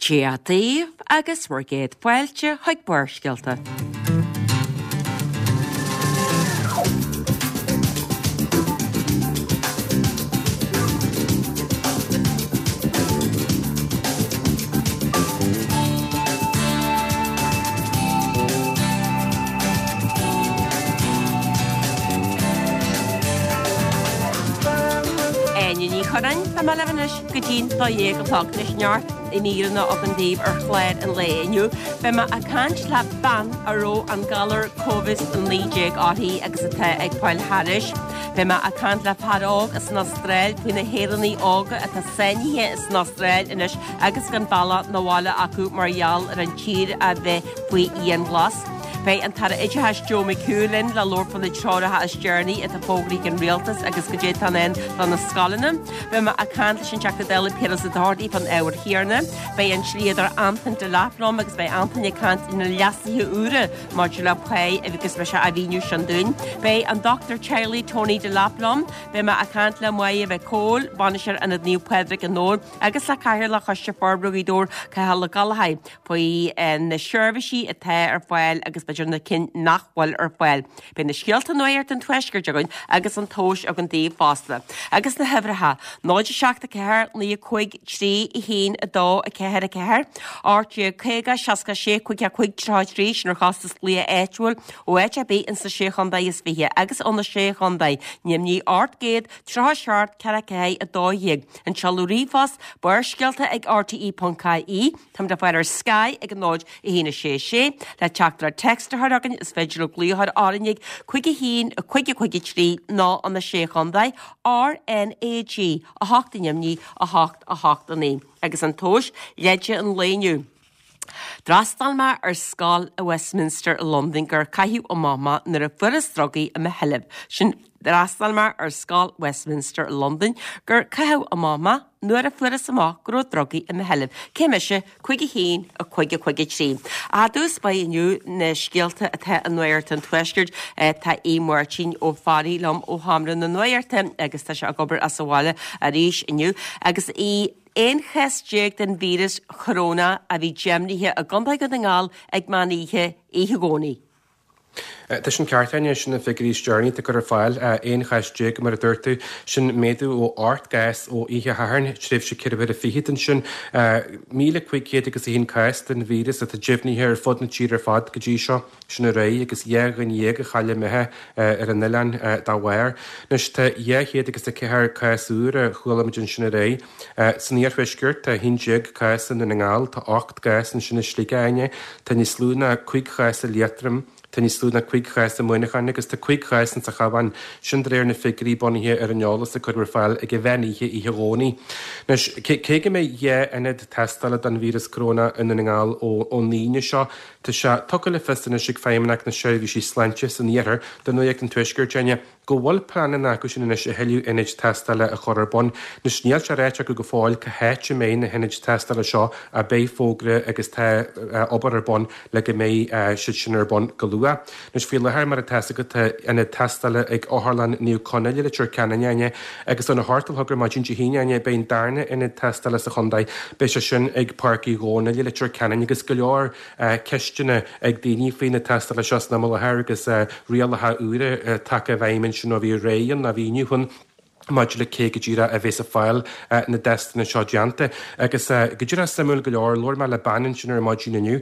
Dia daoibh agus bhur gcéad fáilte chuig Barrscéalta. Áine Ní Churráin, tá mé libh anois go dtí'n 12 a chlog. Anois neart míreanna againn daoibh ar chlár an lae inniu. Beidh mé ag caint le bean a raibh an galar Covid-19 uirthi agus atá ag fáil thairis. Beidh mé ag caint le fear óg as an Astráil faoi na hÉireannaigh óga atá sáinnithe san Astráil anois agus gan bealach 'na bhaile acu mar gheall ar an tír a bheith faoi dhianghlas. Beidh an tAire Oideachais Joe McHugh linn le labhairt faoi na treoracha is deireanaí atá fógraithe ag an Rialtas agus goidé atá i ndán do na scoileanna. Beidh mé ag caint leis an Teachta Dála Piaras Ó Dochartaigh fán ábhar chéanna. Beidh an dlíodóir Antain Delap liom agus beidh Antain ag caint ar na leasuithe úra maidir le pá agus beidh sé á mhíniú sin dúinn. Beidh an dochtúir teaghlaigh Tony Delap liom. Beidh mé ag caint le Máire Mhic Cóil, Bainisteoir Ionad Naomh Pádraig i nDobhar agus le Cathaoirleach Choiste Forbartha Ghaoth Dobhair, Cathal Ó Gallchóir, faoi na seirbhísí atá ar fáil agus b'fhéidir na cinn nach bhfuil ar fáil. Beidh na scéalta nuachta an Tuaiscirt againn agus an tomhas againn daoibh fosta. Agus na huimhreacha, 0 7 4 9 5 3 1 2 4 4, 18 50 66 5 5 33, sin ar chostas glaoch áitiúil ó áit ar bith ins na Sé Chontae is Fiche agus ó na Sé Chontae, ainmnigh 800 37 4 4 12. An seoladh ríomhphost, Barrscéalta ag rte.ie. Táimid le fáil ar Sky ag 0 1 6 6. Le teachtaireacht text a chur chugainn is féidir libh glaoch a chur orainn ag 5 1 5 5 3 nó ó na Sé Chontae, RnaG 8 ainmnigh 8 8 9. Agus an tomhas, leide an lae inniu. D'fhreastail mé ar scoil i Westminster i Londain gur caitheadh amach mé nuair a fuarthas drugaí i mo sheilbh. Sin D'fhreastail mé ar scoil Westminster i Londain gur caitheadh amach mé nuair a fuarthas amach go raibh drugaí i mo sheilbh. Cé mise? 5 1 5 5 3. I dtús báire inniu na scéalta atá i Nuacht an Tuaiscirt. Tá Aodh Máirtín Ó Fearraigh liom ó Sheomra na Nuachta agus tá sé ag obair as an bhaile arís inniu. Agus a 11 chás den víreas choróna a bhí deimhnithe i gContae Dhún na nGall ag meán oíche, oíche Dhomhnaigh. Tá sin ceart, Áine, sin na figiúirí is deireanaí atá curtha ar fáil, 11 chás mar a dúirt tú. Sin méadú ó 8 gcás ó oíche Shathairn, tréimhse ceithre huaire fichead ansin. 1,500 agus 1 cás den víreas atá deimhnithe ar fud na tíre ar fad go dtí seo. Sin ar aghaidh agus 12 dhuine a chaill a mbeatha ar an oileán dá bharr. Anois tá 200 agus 4 cás úr a chuala muid ansin ar aghaidh. San iarthuaisceart tá 11 cás i nDún na nGall, tá 8 gcás ansin i Sligeach, Áine, tá níos lú ná 5 chás i Liatroim, tá níos lú ná 5 chás i Muineachán agus tá 5 chás insa Chabhán, sin de réir na figiúirí bunaithe ar an eolas a cuireadh ar fáil ag an mheán oíche oíche Dhomhnaigh. Anois, cé go mbeidh 2 ionad tástála don víreas coróna i nDún na nGall ón Aoine seo, Tá sé tugtha le fios anois ag Feidhmeannacht na Seirbhísí Sláinte san Iarthar do Nuacht an Tuaiscirt, Áine, go bhfuil pleananna acu sin anois a thuilleadh ionaid tástála a chur ar bun. Anois níl sé ráite acu go fóill cá háit a mbeidh na hionaid tástála seo ach beidh fógra agus tá obair ar bun le go mbeidh siad sin ar bun go luath. Anois faoi láthair mar atá a fhios agat tá ionad tástála ag Otharlann Naomh Conaill i Leitir Ceanainn, Áine, agus óna hocht a chlog ar maidin Dé hAoine, Áine, beidh an darna ionad tástála sa chontae. Beidh sé sin ag Páirc Uí Dhónaill i Leitir Ceanainn agus go leor ceisteanna ag daoine faoi na tástála seo san am i láthair agus rialacha úra tagtha i bhfeidhm ansin ó bhí aréir ann, nó bhí inniu ann, maidir le cé go díreach a bheas ag fáil na dtestanna seo déanta. Agus go díreach suimiúil go leor, labhair mé le bean ansin ar maidin inniu,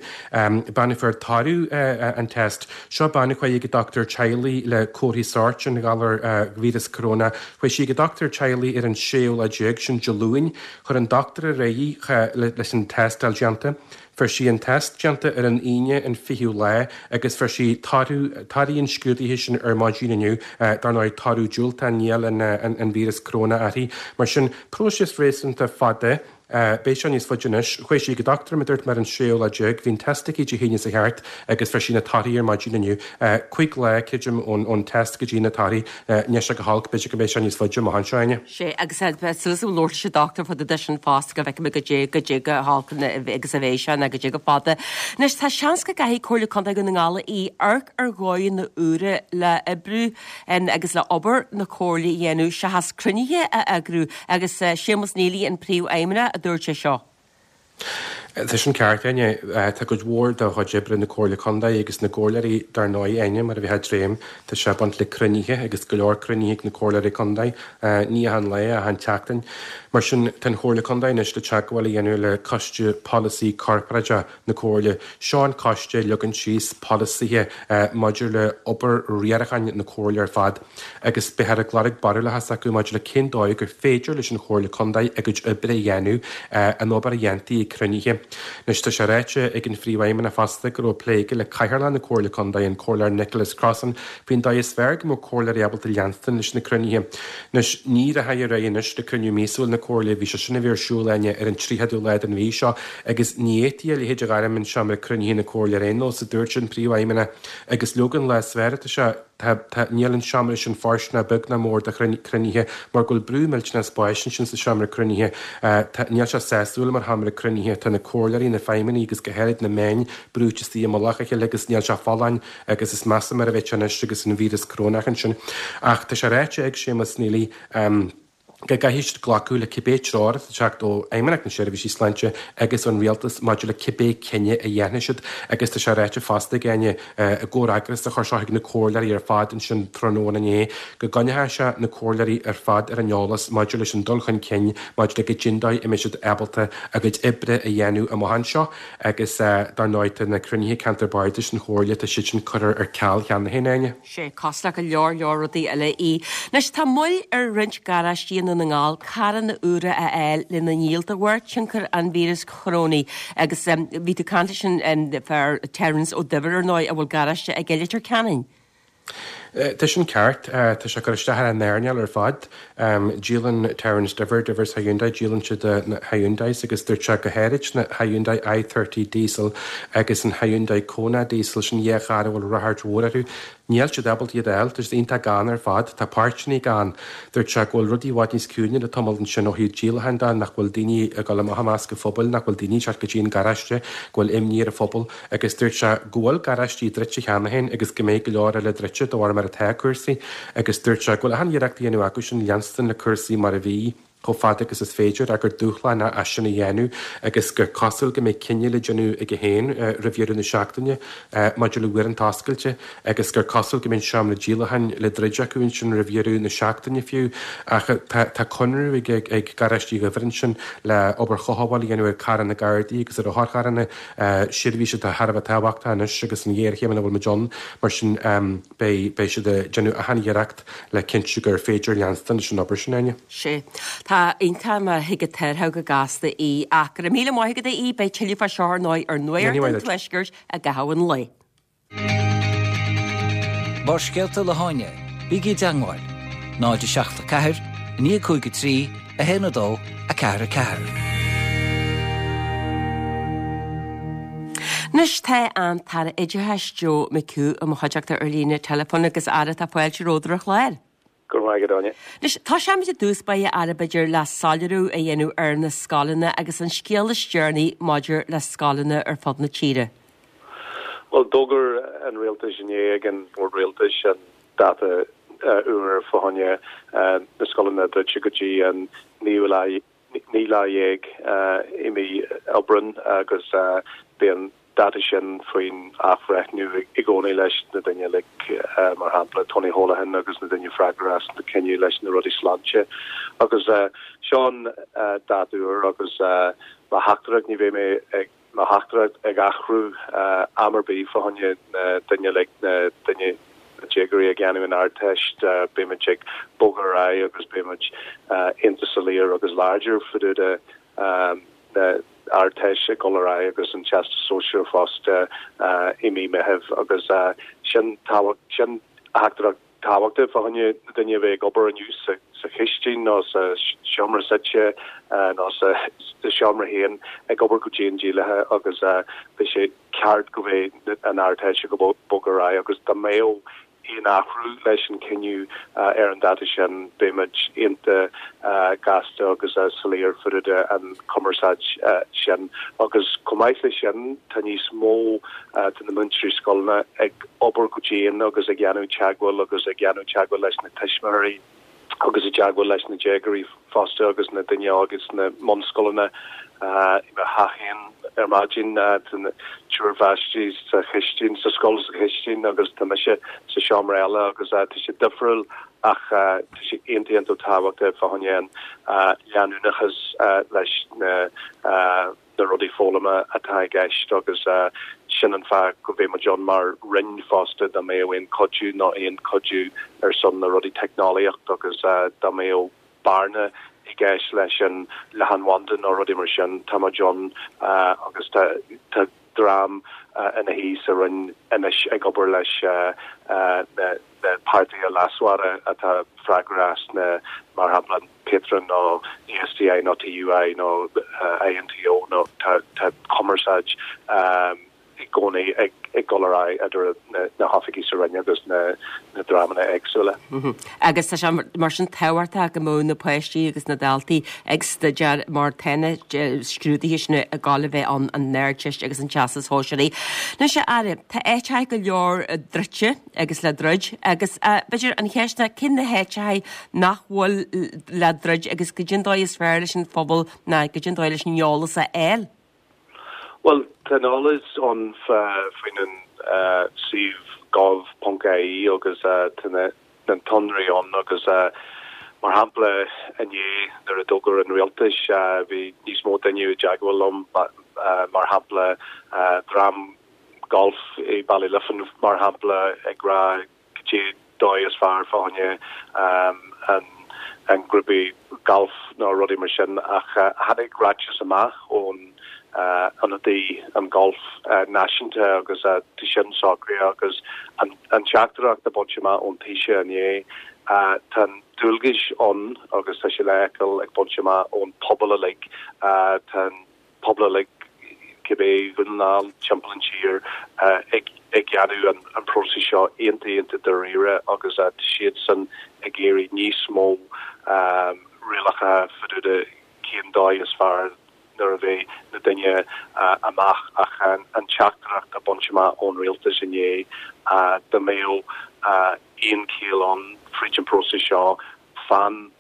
bean a fuair toradh an test. Seo bean a chuaigh ag a dochtúir teaghlaigh le comharthaí sóirt an ghalair víreas corona. Chuaigh sí ag a dochtúir teaghlaigh ar an séú lá déag, sin Dé Luain. Chuir an dochtúir ar aghaidh í leis an tástáil déanta. Fuair sí an test déanta ar an Aoine an 20ú lá agus fuair sí toradh, torthaí an scrúdaithe sin ar maidin inniu, dar ndóigh toradh diúltach, níl an víreas coróna uirthi. Mar sin, próiseas réasúnta fada, beidh sé níos faide anois. Chuaigh sí ag an dochtúir, mar a dúirt mé, ar an séú lá déag, bhí an test aici Dé hAoine seo thart agus fuair sí na torthaí ar maidin inniu. Cuig lá, creidim, ón test go dtí na torthaí. Níl sé go holc, b'fhéidir go mbeidh sé níos faide amach anseo, Áine. Sea, agus tá súil agam labhairt leis an dochtúir fá dtaobh de sin fosta go bhfeicfidh mé goidé, goidé chomh holc agus a bheidh sé nó goidé chomh fada. Anois, tá seans go gcaithfidh Comhairle Contae Dhún na nGall amharc ar dhóigheanna úra le oibriú agus le obair na Comhairle a dhéanamh seachas cruinnithe a eagrú agus Séamus Neely an Príomhfheidhmeannach a dúirt é seo. Tá sin ceart, Áine. Tá cuid mhór de chuid oibre na Comhairle Contae agus na gcomhairleoirí dar ndóigh, Áine, mar a bheifeá ag dréim, tá sé ag baint le cruinnithe agus go leor cruinnithe ag na comhairleoirí contae, ní achan lá, achan tseachtain. Mar sin, tá an Chomhairle Contae anois le teagmháil a dhéanamh le Coiste Polasaí Corparáideach na Comhairle. Seo an coiste a leagann síos polasaithe maidir le obair riaracháin na Comhairle ar fad agus beifear ag lorg barúlacha s'acu maidir le cén dóigh gur féidir leis an Chomhairle Contae a gcuid oibre a dhéanamh, an obair a dhéantaí ag cruinnithe. Anois tá sé ráite ag an Phríomhfheidhmeannach fosta go raibh plé aige le Cathaoirleach na Comhairle Contae, an Comhairleoir Nicholas Crossan, faoin dóigh is fearr go mbeadh comhairleoirí ábalta leanstan leis na cruinnithe. Anois, ní rachaidh ar aghaidh anois le cruinniú míosúil na Comhairle, bhí sé sin a bheith ar siúl, Áine, ar an 30ú lá den mhí seo agus ní fhéadfaí a leithéid a ghairm an seomra cruinnithe na Comhairle ar aon nós, a dúirt an Príomhfheidhmeannach, agus leoga an lá is fearr atá sé, tá, tá, níl an seomra sin fóirsteanach beag ná mór do chruinnithe mar go bhfuil brú millteanach spáis ansin sa seomra cruinnithe. Tá, níl sé sásúil mar sheomra cruinnithe, tá na comhairleoirí, na feidhmeannaigh agus go háirid na meáin brúite istigh i mullach a chéile agus níl sé folláin agus is measa mar a bheidh sé anois agus an víreas corónach ansin. Ach tá sé ráite ag Séamus Neely go gcaithfidh siad glacadh le cibé treoir atá ag teacht ó Fheidhmeannacht na Seirbhísí Sláinte agus ón Rialtas maidir le cibé cinneadh a dhéanfaidh siad agus tá sé ráite fosta ag Áine i gcomhfhreagras a chuir sé chuig na comhairleoirí ar fad ansin tráthnóna inné go gcoinneoidh sé na comhairleoirí ar fad ar an eolas maidir leis an dul chun cinn maidir le goidé an dóigh a mbeidh siad ábalta a gcuid oibre a dhéanamh amach anseo. Agus dar ndóigh tá na cruinnithe Ceantar Bardais an Chomhairle, tá siad sin curtha ar ceal cheana féin, Áine. Sea, cosúil le go leor leor rudaí eile í. Anois tá moill ar roinnt garáistí i nDún na nGall carranna úra a fháil lena ndíol de bharr tionchar an víreas chorónaigh agus bhí tú ag caint leis an fear Terence Ó Duibhir ar ndóigh a bhfuil garáiste aige i Leitir Ceanainn. Tá sin ceart. Tá sé ag cur isteach ar an earnáil ar fad. Díolann Terence Diver, Divers Hyundai, díolann siad na Hyundais agus dúirt sé go háirid na Hyundai i30 Diesel agus an Hyundai Kona Diesel, sin dhá charr a bhfuil ráchairt mhór orthu. Níl siad ábalta iad a fháil, tá siad iontach gann ar fad, tá páirteanna gann. Dúirt sé go bhfuil rudaí i bhfad níos ciúine le tamall ansin ó thaobh díolacháin de, nach bhfuil daoine ag dul amach i measc an phobail, nach bhfuil daoine ag teacht go dtí an garáiste, go bhfuil imní ar an phobal. Agus dúirt sé go bhfuil garáistí druidte cheana féin agus go mbeidh go leor eile druidte de bharr mar atá cúrsaí. Agus dúirt sé go bhfuil achan iarracht á dhéanamh acusan leanstan le cúrsaí mar a bhí chomh fada agus is féidir ach gur dúshlán é sin a dhéanamh agus gur cosúil go mbeidh cinneadh le déanamh aige féin roimh dheireadh na seachtaine maidir le uaireanta oscailte agus gur cosúil go mbeidh an seomra díolacháin le druid acu ansin roimh dheireadh na seachtaine fiú. Ach tá conradh ag ag garáistí Dhuibhir ansin le obair chothabháil a dhéanamh ar carranna Gardaí agus ar otharcharranna. Seirbhís atá thar a bheith tábhachtach anois agus an ghéarchéim ina bhfuil muid ann, mar sin beidh beidh siad ag déanamh achan iarracht le cinntiú gur féidir leanstan leis an obair sin, Áine. Sea. Tá iontach má thig an t-athrú go gasta í. Ach go raibh míle maith agat a Aoidh, beidh tuilleadh fá seo ar ndóigh ar Nuacht an Tuaiscirt i gcaitheamh an lae. Barrscéalta le hÁine, bígí i dteangmháil, 0 7 4 9 5 3 1 2 4 4. Anois tá an tAire Oideachais Joe McHugh i mo chuideachta ar líne teileafóin agus a Aire tá fáilte romhat ar an chlár. Go raibh maith agat, Áine. Anois, tosóimid i dtús báire, a Aire, b'fhéidir, le soiléiriú a dhéanamh ar na scoileanna agus an scéal is deireanaí maidir le scoileanna ar fud na tíre. Bhuel, d'fhógair an Rialtas inné ag an Bhord Rialtais an dáta úr fá choinne na scoileanna a druidte go dtí an naoú lá 19 lá i mí Aibreáin agus beidh an dáta sin faoin athbhreithniú i gcónaí leis na daoine uilig, mar shampla Tony Holohan agus na daoine freagrach as na cinneadh leis na rudaí sláinte. Agus seo an dáta úr agus mo theachtaireacht, ní bheidh mé ag mo theachtaireacht ag athrú am ar bith fá choinne na daoine uilig, na daoine, na déagóirí ag déanamh an Ardteist, beimid ag bogadh ar aghaidh agus beimid iontach soiléir agus láidir fá dtaobh de na Ardteist ag dul ar aghaidh agus an Teastas Sóisearach fosta i mí Meithimh agus sin tábhacht, sin theachtaireacht tábhachtach fá choinne na daoine a bheidh ag obair inniu sa chistin nó sa seomra suite nó sa seomra féin ag obair go dian díograiseach agus beidh sé ceart go mbeidh an Ardteist ag bogadh ar aghaidh agus dá mbeadh aon athrú leis an cinneadh ar an dáta sin beimid iontach gasta agus soiléir fá dtaobh de an chumarsáid sin. Agus chomh maith leis sin tá níos mó de na múinteoirí scoileanna ag obair go dian agus ag dhéanamh teagmháil agus ag dhéanamh teagmháil leis na tuismitheoirí agus i dteagmháil leis na déagóirí fosta agus na daoine óga sna mbunscoileanna. I mo theach féin. Ar maidin tá triúr pháistí sa chistin, sa scoil sa chistin agus tá mise sa seomra eile agus tá sé difriúil ach tá sé iontach iontach tábhachtach fá choinne an leanúnachas leis na na rudaí foghlama atá i gceist agus sin an fáth go mbeidh muid ann mar Roinn fosta dá mbeadh aon cuidiú nó aon cuidiú ar son na rudaí teicneolaíocht agus dá mbeadh bearna i gceist leis an leathanbhanda nó rudaí mar sin, tá muid ann agus tá tá dream ina shuí sa Roinn anois ag obair leis na na páirtithe leasmhara atá freagrach as na, mar shampla, an Patron nó ESDI nó TUI nó INTO nó tá tá cumarsáid i gcónaí ag dul ar aghaidh idir na hoifigí sa Roinn agus na dreamanna éagsúla. Agus tá sé mar sin tábhachtach go mbeadh na páistí agus na daltaí ag staidéar mar tá na scrúduithe sin ag gabháil a bheith ann, an Ardteist agus an Teastas Sóisearach. Anois, a Aire, tá áiteacha go leor druidte agus le druid agus b'fhéidir an cheist ná cé na háiteacha nach bhfuil le druid agus goidé an dóigh is fearr leis an phobal ná goidé an dóigh leis an eolas a fháil? Bhuel, tá an eolas ann faoin an suíomh gov.ie agus tá na sonraí ann agus mar shampla inné nuair a d'fhógair an rialtas bhí níos mó duine i dteagmháil liom mar shampla dream golf i Ballyliffin mar shampla ag rá goidé dóigh is fearr fá choinne an grúpaí galf nó rudaí mar sin ach tháinig ráiteas amach ón ionadaí an golf náisiúnta agus tá sin socraithe agus an teachtaireacht a baint amach ón Taoiseach inné tá an dualgais ann agus tá sé le feiceáil ag baint amach ón pobal uilig tá an pobal uilig, cibé Dhún na nGall, timpeall an tír, ag déanamh an próiseas seo iontach iontach dáiríre agus tá siadsan ag iarraidh níos mó rialacha fá dtaobh de cén dóigh is fearr nuair a bheidh na duine amach ach an teachtaireacht a baint amach ón rialtas inné dá mbeadh aon chiall ann fríd an próiseas seo fan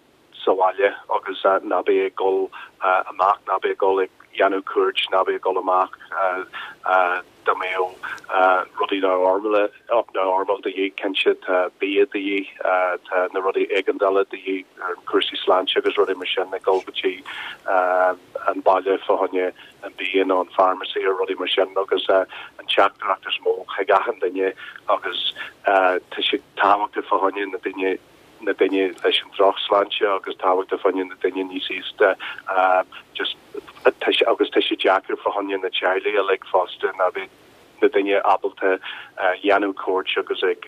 sa bhaile agus ná bí ag dul amach, ná bí ag dul ag dhéanamh cuairt, ná bí ag dul amach dá mbeadh rudaí normal de dhíth, cinnte tá bia de dhíth, tá na rudaí éigeandála de dhíth ar cúrsaí sláinte agus rudaí mar sin, ag dul go dtí an baile fá choinne an bia nó an pharmacy or rudaí mar sin agus an teachtaireacht is mó chuig achan duine agus tá sé tábhachtach fá choinne na daoine na daoine leis an drochshláinte agus tábhachtach fá choinne na daoine níos aosta just agus tá sé deacair fá choinne na teaghlaigh uilig fosta ná bheith na daoine ábalta dhéanamh cuairt agus ag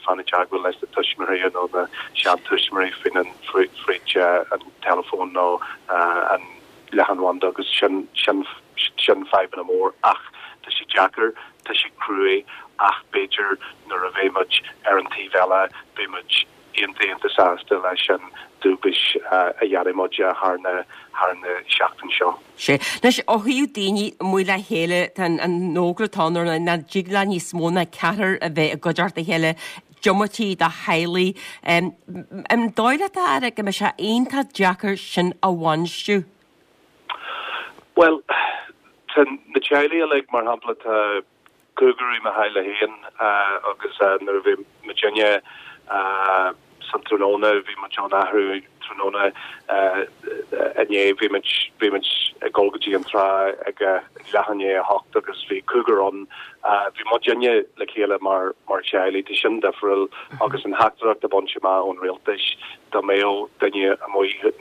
fan i dteagmháil leis na tuismitheoirí nó na seantuismitheoirí faoin an fríd an teileafón nó an leathanbhanda agus sin sin sin fadhbanna mór ach tá sé deacair, tá sé cruaidh ach b'fhéidir nuair a bheidh muid ar an taobh eile beidh muid iontach iontach sásta leis an dualgais a dhéanfaidh muid thar na thar na seachtain seo. Sea. Anois, ó thaobh daoine amuigh le chéile, tá an an fhógra atá ann ar nach dtig le níos mó ná ceathrar a bheith i gcuideachta a chéile, diomaite de theaghlaigh. An dóigh leat, a Aire, go mbeidh sé iontach deacair sin a bhainistiú? Bhuel, tá na teaghlaigh uilig, mar shampla, tá cúigear i mo theaghlach féin agus nuair a bhí muidinne san tráthnóna, bhí muid ann athrú tráthnóna inné, bhí muid, bhí muid ag dul go dtí an trá ag leath i ndiaidh a hocht agus bhí cúigear ann. Bhí muidinne le chéile mar, mar theaghlaigh, tá sin difriúil agus an theachtaireacht a baint amach ón rialtais dá mbeadh duine amuigh,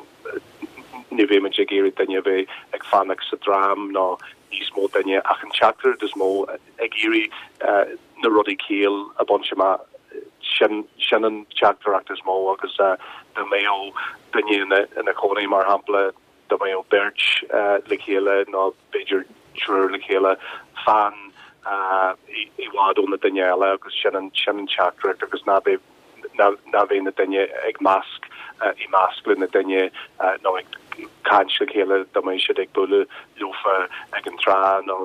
ní bheidh muid ag iarraidh duine a bheith ag fanacht sa dream nó níos mó duine ach an teachtaireacht is mó ag iarraidh na rudaí ciall a bhaint amach sin sin an teachtaireacht is mó agus dá mbeadh duine ina ina chónaí mar shampla dá mbeadh beirt le chéile nó b'fhéidir triúr le chéile fan i bhfad ó na duine eile agus sin an sin an teachtaireacht agus ná beidh ná bheidh na duine ag measc i measc le na duine nó ag caint le chéile dá mbeidh siad ag bualadh leofa ag an trá nó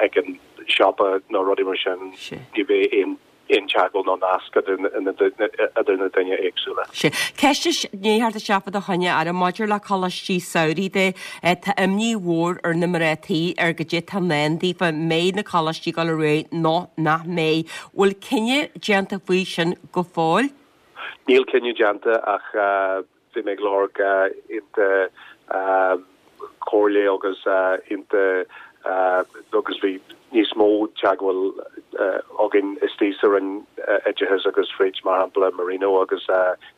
ag an siopa nó rudaí mar sin. Ní bheidh aon. aon teagmháil nó nasc idir na daoine éagsúla. Sea. Ceist i ndiaidh theacht isteach fá do choinne, a Aire, maidir le coláistí samhraidh de, tá imní mhór ar na mná tí ar goidé tá i ndán daofa, mbeidh na coláistí ag dul ar aghaidh nó nach mbeidh. Bhfuil cinneadh déanta faoi sin go fóill? Níl cinneadh déanta ach bhí mé ag lorg aonta comhairle agus aonta agus bhí níos mó teagmháil againn istigh sa Roinn Oideachais agus fríd mar shampla Marino agus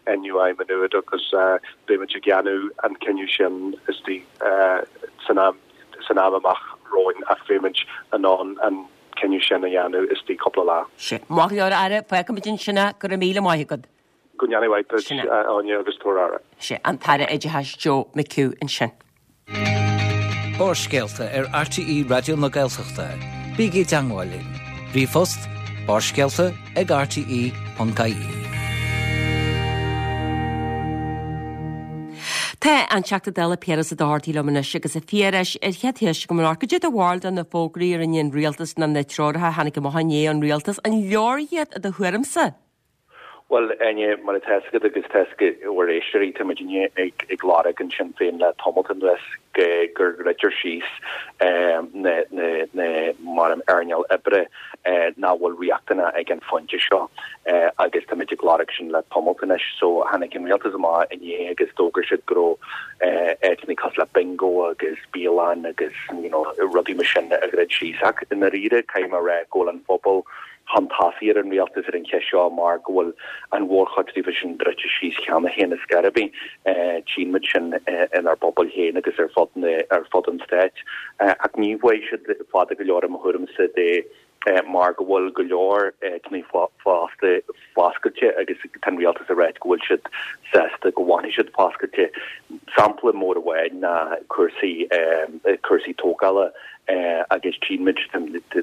NUI Maigh Nuad agus beimid ag déanamh an cinneadh sin istigh san am san am amach romhainn ach beimid in ann an cinneadh sin a dhéanamh istigh cúpla lá. Sea. Maith go leor, a Aire. Fágfaimid ansin é. Go raibh míle maith agat. Go ndéana mhaith duit, Sin é. a Áine, agus tabhair aire. Sea, an tAire Oideachais Joe McHugh ansin. Barrscéalta ar RTÉ Raidió na Gaeltachta. Bígí i dteangmháil linn. Ríomhphost, barrscéalta ag rte.ie. Tá an Teachta Dála Piaras Ó Dochartaigh liom anois agus a Phiarais, ar chéad cheist agam ort, cad é do bharúil de na fógraí a rinne an Rialtas nó na treoracha a tháinig amach inné ón Rialtas, an leor iad i do thuairimse? Bhuel, Áine, mar atá fhios agat agus tá fhios ag bhur éisteoirí, tá muidinne ag lorg in Sinn Féin le tamalt anuas go ndruidtear síos na, na, na, mar an earnáil oibre nach bhfuil riachtanach ag an phointe seo agus táimid ag lorg sin le tamalt anois. So tháinig an rialtas amach inné agus d'fhógair siad go raibh áiteanna cosúil le bingo agus bialann agus you know rudaí mar sin a dhruid síos. Ach i ndáiríre caithfidh mé a rá go bhfuil an phobal chun tosaigh ar an rialtas ar an cheist seo mar go bhfuil an mhórchuid díobh sin druidte síos cheana féin ar scor ar bith. Tchíonn muid sin inár bpobail féin agus ar fud na, ar fud an stáit. Ach ní bheidh siad fada go leor i mo thuairimse de mar go bhfuil go leor áiteanna fosta foscailte agus tá an rialtas ag ráit go bhfuil siad sásta go bhfanfaidh siad foscailte. Sampla mór amháin ná cúrsaí cúrsaí tógála agus tchíonn muid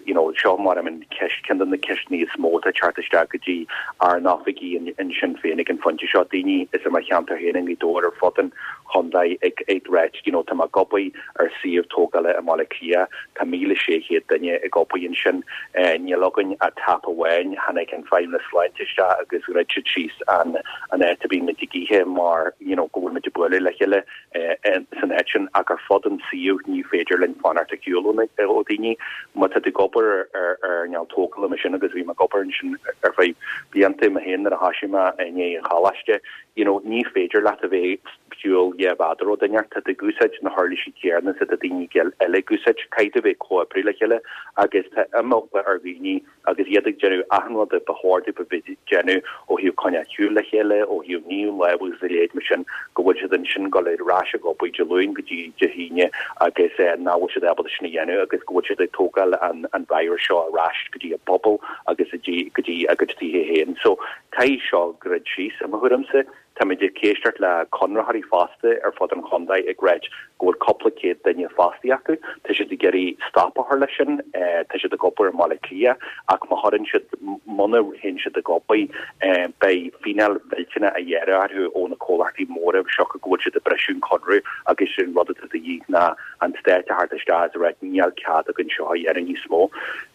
you know seo mar an cheist ceann de na ceisteanna is mó atá ag teacht isteach go dtí ár n-oifigí in Sinn Féin ag an phointe seo, daoine is i mo cheantar féin i nGaoth Dobhair ar fud an chontae ag ag ráit you know tá mé ag obair ar suíomh tógála i mBaile Átha Cliath, tá 1,600 duine ag obair ansin, níl againn ach tap amháin, tháinig an Feidhmeannas Sláinte isteach agus dhruid siad síos an an áit a bhíonn muid ag ithe mar you know go bhfuil muid ag bualadh le chéile san áit sin ach ar fud an suíomh ní féidir linn fanacht ar shiúl ó dhaoine. Má tá tú ag obair ar earnáil tógála mar sin agus bhí mé ag obair ansin ar feadh blianta mé féin nuair a thoisigh mé i ndiaidh an choláiste, you know ní féidir leat a bheith ar shiúl 2 mhéadar ó duine, tá tú ag úsáid na huirlisí céanna is atá daoine eile ag úsáid, caithfidh tú a bheith ag comhoibriú le chéile agus tá imeagla ar dhaoine agus iad ag déanamh achan rud a ba chóir dóibh a bheith ag déanamh ó thaobh coinneáil ar shiúl le chéile, ó thaobh ní lámh agus a leithéid mar sin, go bhfuil siad ansin ag dul ar ais ag obair Dé Luain go dtí Dé hAoine agus nach bhfuil siad ábalta sin a dhéanamh agus go bhfuil siad ag tógáil an virus seo ar ais go dtí a bpobal agus go dtí a gcuid tithe féin. So caithfidh seo druid síos i mo thuairimse. Táimid ag éisteacht le conraitheoirí fosta ar fud an chontae ag ráit go bhfuil cúpla céad duine fostaithe acu. Tá siad ag iarraidh stop a chur leis sin. Tá siad ag obair i mBaile Átha Cliath ach má chuireann siad, muna théann siad ag obair, beidh fíneáil mhillteanach á ghearradh orthu ó na comhlachtaí móra siocair go bhfuil siad ag briseadh an conradh agus an rud atá de dhíth ná an stát a theacht isteach is a ráit níl cead againn seo a dhéanamh níos mó.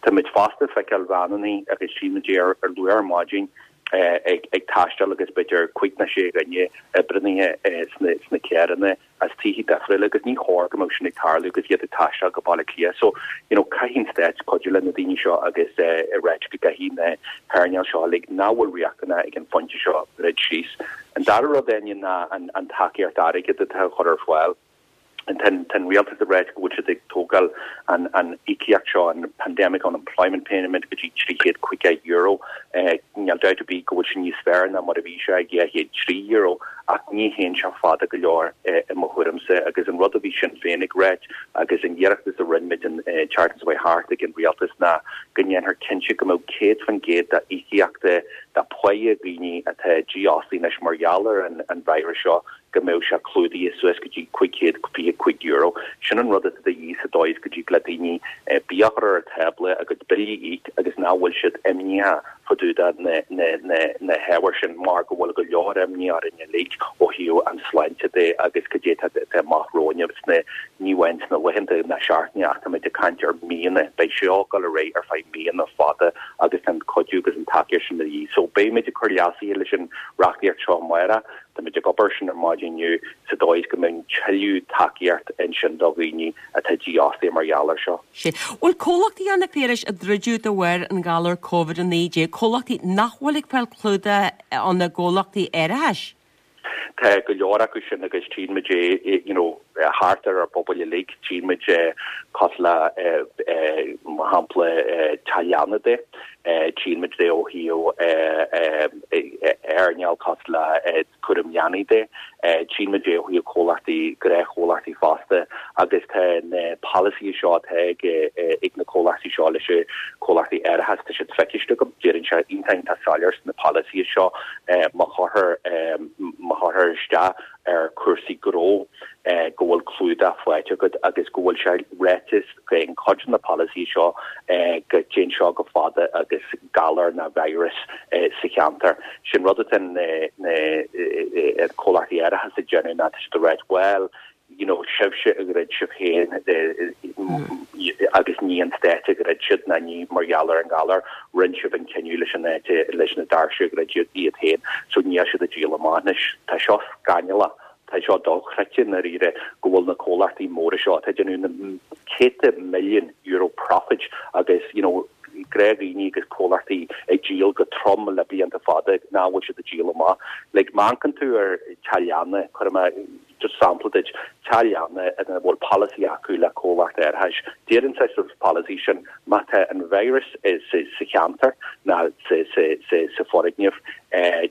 Táimid fosta ag feiceáil veaineanna agus tchímid é ar luath ar maidin ag taisteal agus b'fhéidir cúig nó sé dhuine oibrithe sna carranna as tithe difriúla agus ní chóir go mbeadh sin ag tarlú agus iad ag taisteal go Baile Átha Cliath. So, you know, caithfidh an stát cuidiú le na daoine seo agus a ráit go gcaithfidh na hearnáil seo uilig nach bhfuil riachtanach ag an phointe seo druid síos. An dara rud, Áine, ná an tacaíocht airgid atá á chur ar fáil. Tá an rialtas ag ráit go bhfuil siad ag tógáil an íocaíocht seo, an Pandemic Unemployment Payment, go dtí €350. Níl dabht ar bith go bhfuil sé níos fearr ná mar a bhí sé ag €203, ach ní théann sé fada go leor i mo thuairimse. Agus an rud a bhí Sinn Féin ag ráit agus an iarratas a rinne muid an tseachtain seo chuaigh thart ag an rialtas ná go ndéanfar cinnte go mbeadh 100% d'íocaíochta de pháighe dhaoine atá dífhostaithe anois mar gheall ar an virus seo go mbeadh sé clúdaithe suas go dtí €525. Sin an rud atá de dhíth sa dóigh is go dtig le daoine bia a chur ar an tábla, a gcuid billí a íoc agus nach bhfuil siad imníoch fá dtaobh de na hábhair sin mar go bhfuil go leor imní orainn uilig. tríd ó thaobh an sláinte de agus cad é atá amach romhainn sna, ní amháin sna laethanta ná seachtainí ach táimid ag caint ar míonna, beidh seo ag dul ar aghaidh ar feadh míonna fada agus tá an cuidiú agus an tacaíocht sin de dhíth. So beimid ag cur leasuithe leis an reachtaíocht seo amárach, táimid ag obair sin ar maidin inniu sa dóigh is go mbeidh tuilleadh tacaíocht ansin do dhaoine atá dífhostaithe mar gheall air seo. Sea. Bhfuil comhlachtaí ann a Phiarais a druideadh de bharr an ghalar Covid-19, comhlachtaí nach bhfuil ag fáil clúdach óna gcomhlachtaí árachais? Tá go leor acu sin agus tchíonn muid é you know thart ar ár bpobail uilig, tchíonn muid é cosúil le mar shampla teach leanna de, tchíonn muid é ó thaobh earnáil cosúil le cúram leanaí de, tchíonn muid é ó thaobh comhlachtaí, gnáthchomhlachtaí fosta agus tá na polasaithe seo atá ag ag na comhlachtaí seo leis na comhlachtaí árachais, tá siad feiciste agam, deireann sé iontach iontach soiléir sna polasaithe seo má chuirtear má chuirtear isteach ar chúrsaí gnó go bhfuil clúdach faighte agat agus go bhfuil sé ráite in cuid de na polasaithe seo go dtéann seo chomh fada agus galar nó virus sa cheantar. Sin rud atá na na comhlachtaí árachais ag déanamh ná tá siad ag ráit bhuel you know, sibhse a dhruid sibh féin agus ní an stát a dhruid siad ná ní mar gheall ar an ghalar, rinne sibh an cinneadh leis an áit, leis na doirse a dhruid iad féin, so níl siad ag díol amach anois. Tá seo scannalach, tá seo dochreidte i ndáiríre go bhfuil na comhlachtaí móra seo atá ag déanamh na céadta milliún euro profit agus, you know, gnáthdhaoine agus comhlachtaí ag díol go trom le blianta fada nach bhfuil siad ag díol amach. Like, má amharcann tú ar teach leanna, cuirfidh mé Just sampla duit, teach leanna ina bhfuil polasaí acu le comhlacht árachais, deireann sé sa pholasaí sin má tá an virus sa cheantar ná sa foirgneamh,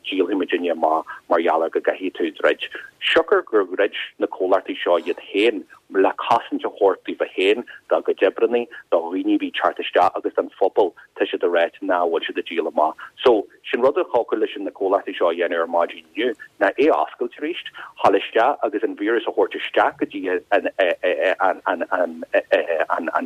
díolfaidh muidinne amach mar gheall ar go gcaithfidh tú druid. Siocair gur dhruid na comhlachtaí seo iad féin le cosaint a thabhairt daofa féin, dá gcuid oibreannaí, do dhaoine a bhí ag teacht isteach agus don phobal, tá siad ag ráit nach bhfuil siad ag díol amach. So, Sin rud a thiocfadh leis na comhlachtaí seo a dhéanamh ar maidin inniu ná é a oscailt arís, dhul isteach agus an víreas a thabhairt isteach go dtí an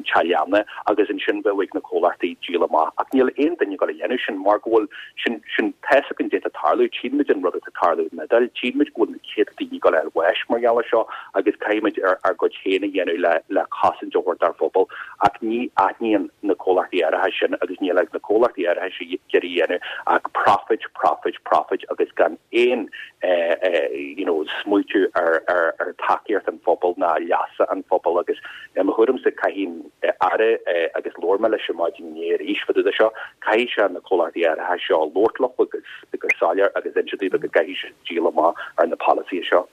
teach leanna agus ansin bheadh ag na comhlachtaí díol amach. Ach níl aon duine ag dul a dhéanamh sin mar go bhfuil sin, sin, tá fhios againn caidé atá ag tarlú, tchíonn muid an rud atá ag tarlú in Iodáil, tchíonn muid go bhfuil na céadta daoine ag dul a fháil bháis mar gheall air seo agus caithfidh muid ár gcuid féin a dhéanamh le le cosaint a thabhairt dár bpobal. Ach ní aithníonn na comhlachtaí árachais sin agus níl ag na comhlachtaí árachais ag iarraidh a dhéanamh ach profit, profit, profit agus gan aon you know smaoitiú ar ar ar tacaíocht an phobail ná leasa an phobail agus i mo thuairimse caithfidh an Aire agus labhair mé leis ar maidin inné arís fá dtaobh de seo, caithfidh sé na comhlachtaí árachais seo labhairt leo go soiléir agus inse daofa go gcaithfidh siad díol amach ar na polasaithe seo.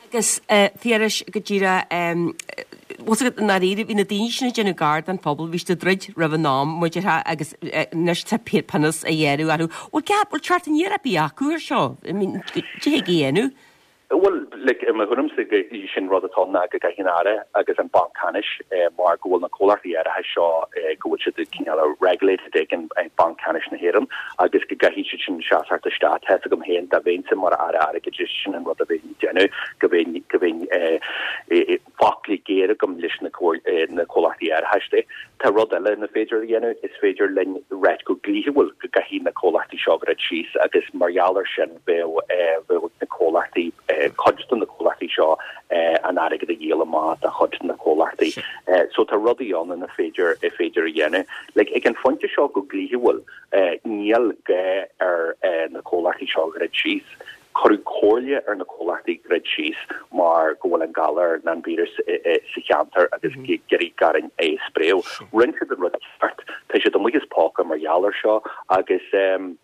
Agus a Phiarais, go díreach, bhfuil fhios agat, i ndáiríre, bhí na daoine sin ag déanamh gar don phobal, bhí siad ag druid roimh an am, mar a déarfá, agus anois tá pionós á ghearradh orthu. Bhfuil ceart, bhfuil teacht aniar ar bith acu ar seo? I mean, cad é a thig a dhéanamh? Bhuel, like, i mo thuairimse, sin rud atá ann ná go gcaithfidh an Aire agus an Banc Ceannais, mar go bhfuil na comhlachtaí árachais seo, go bhfuil siad cineál regulated ag an Banc Ceannais na hÉireann, agus go gcaithfidh siad sin seasacht isteach. Tá fhios agam féin, dá mbeinnse mar Aire Airgeadais, sin an rud a bheinn ag déanamh, go mbeinn, go mbeinn foclaí géar agam leis na comhlachtaí árachais de. Tá rud eile ina féidir a dhéanamh, is féidir linn ráit go dlíthiúil go gcaithfidh na comhlachtaí seo druid síos agus mar gheall air sin bheadh, bheadh na comhlachtaí, cuid de na comhlachtaí seo an airgead a dhíol amach do chuid de na comhlachtaí. So tá rudaí ann ina féidir, féidir a dhéanamh. Like, ag an phointe seo go dlíthiúil, níl gá ar na comhlachtaí seo druid síos. Cuireadh comhairle ar na comhlachtaí druid síos mar go bhfuil an galar nó an víreas sa cheantar agus ag iarraidh orainn é a spréadh. Rinne siad an rud ceart. Tá siad amuigh as póca mar gheall air seo agus tá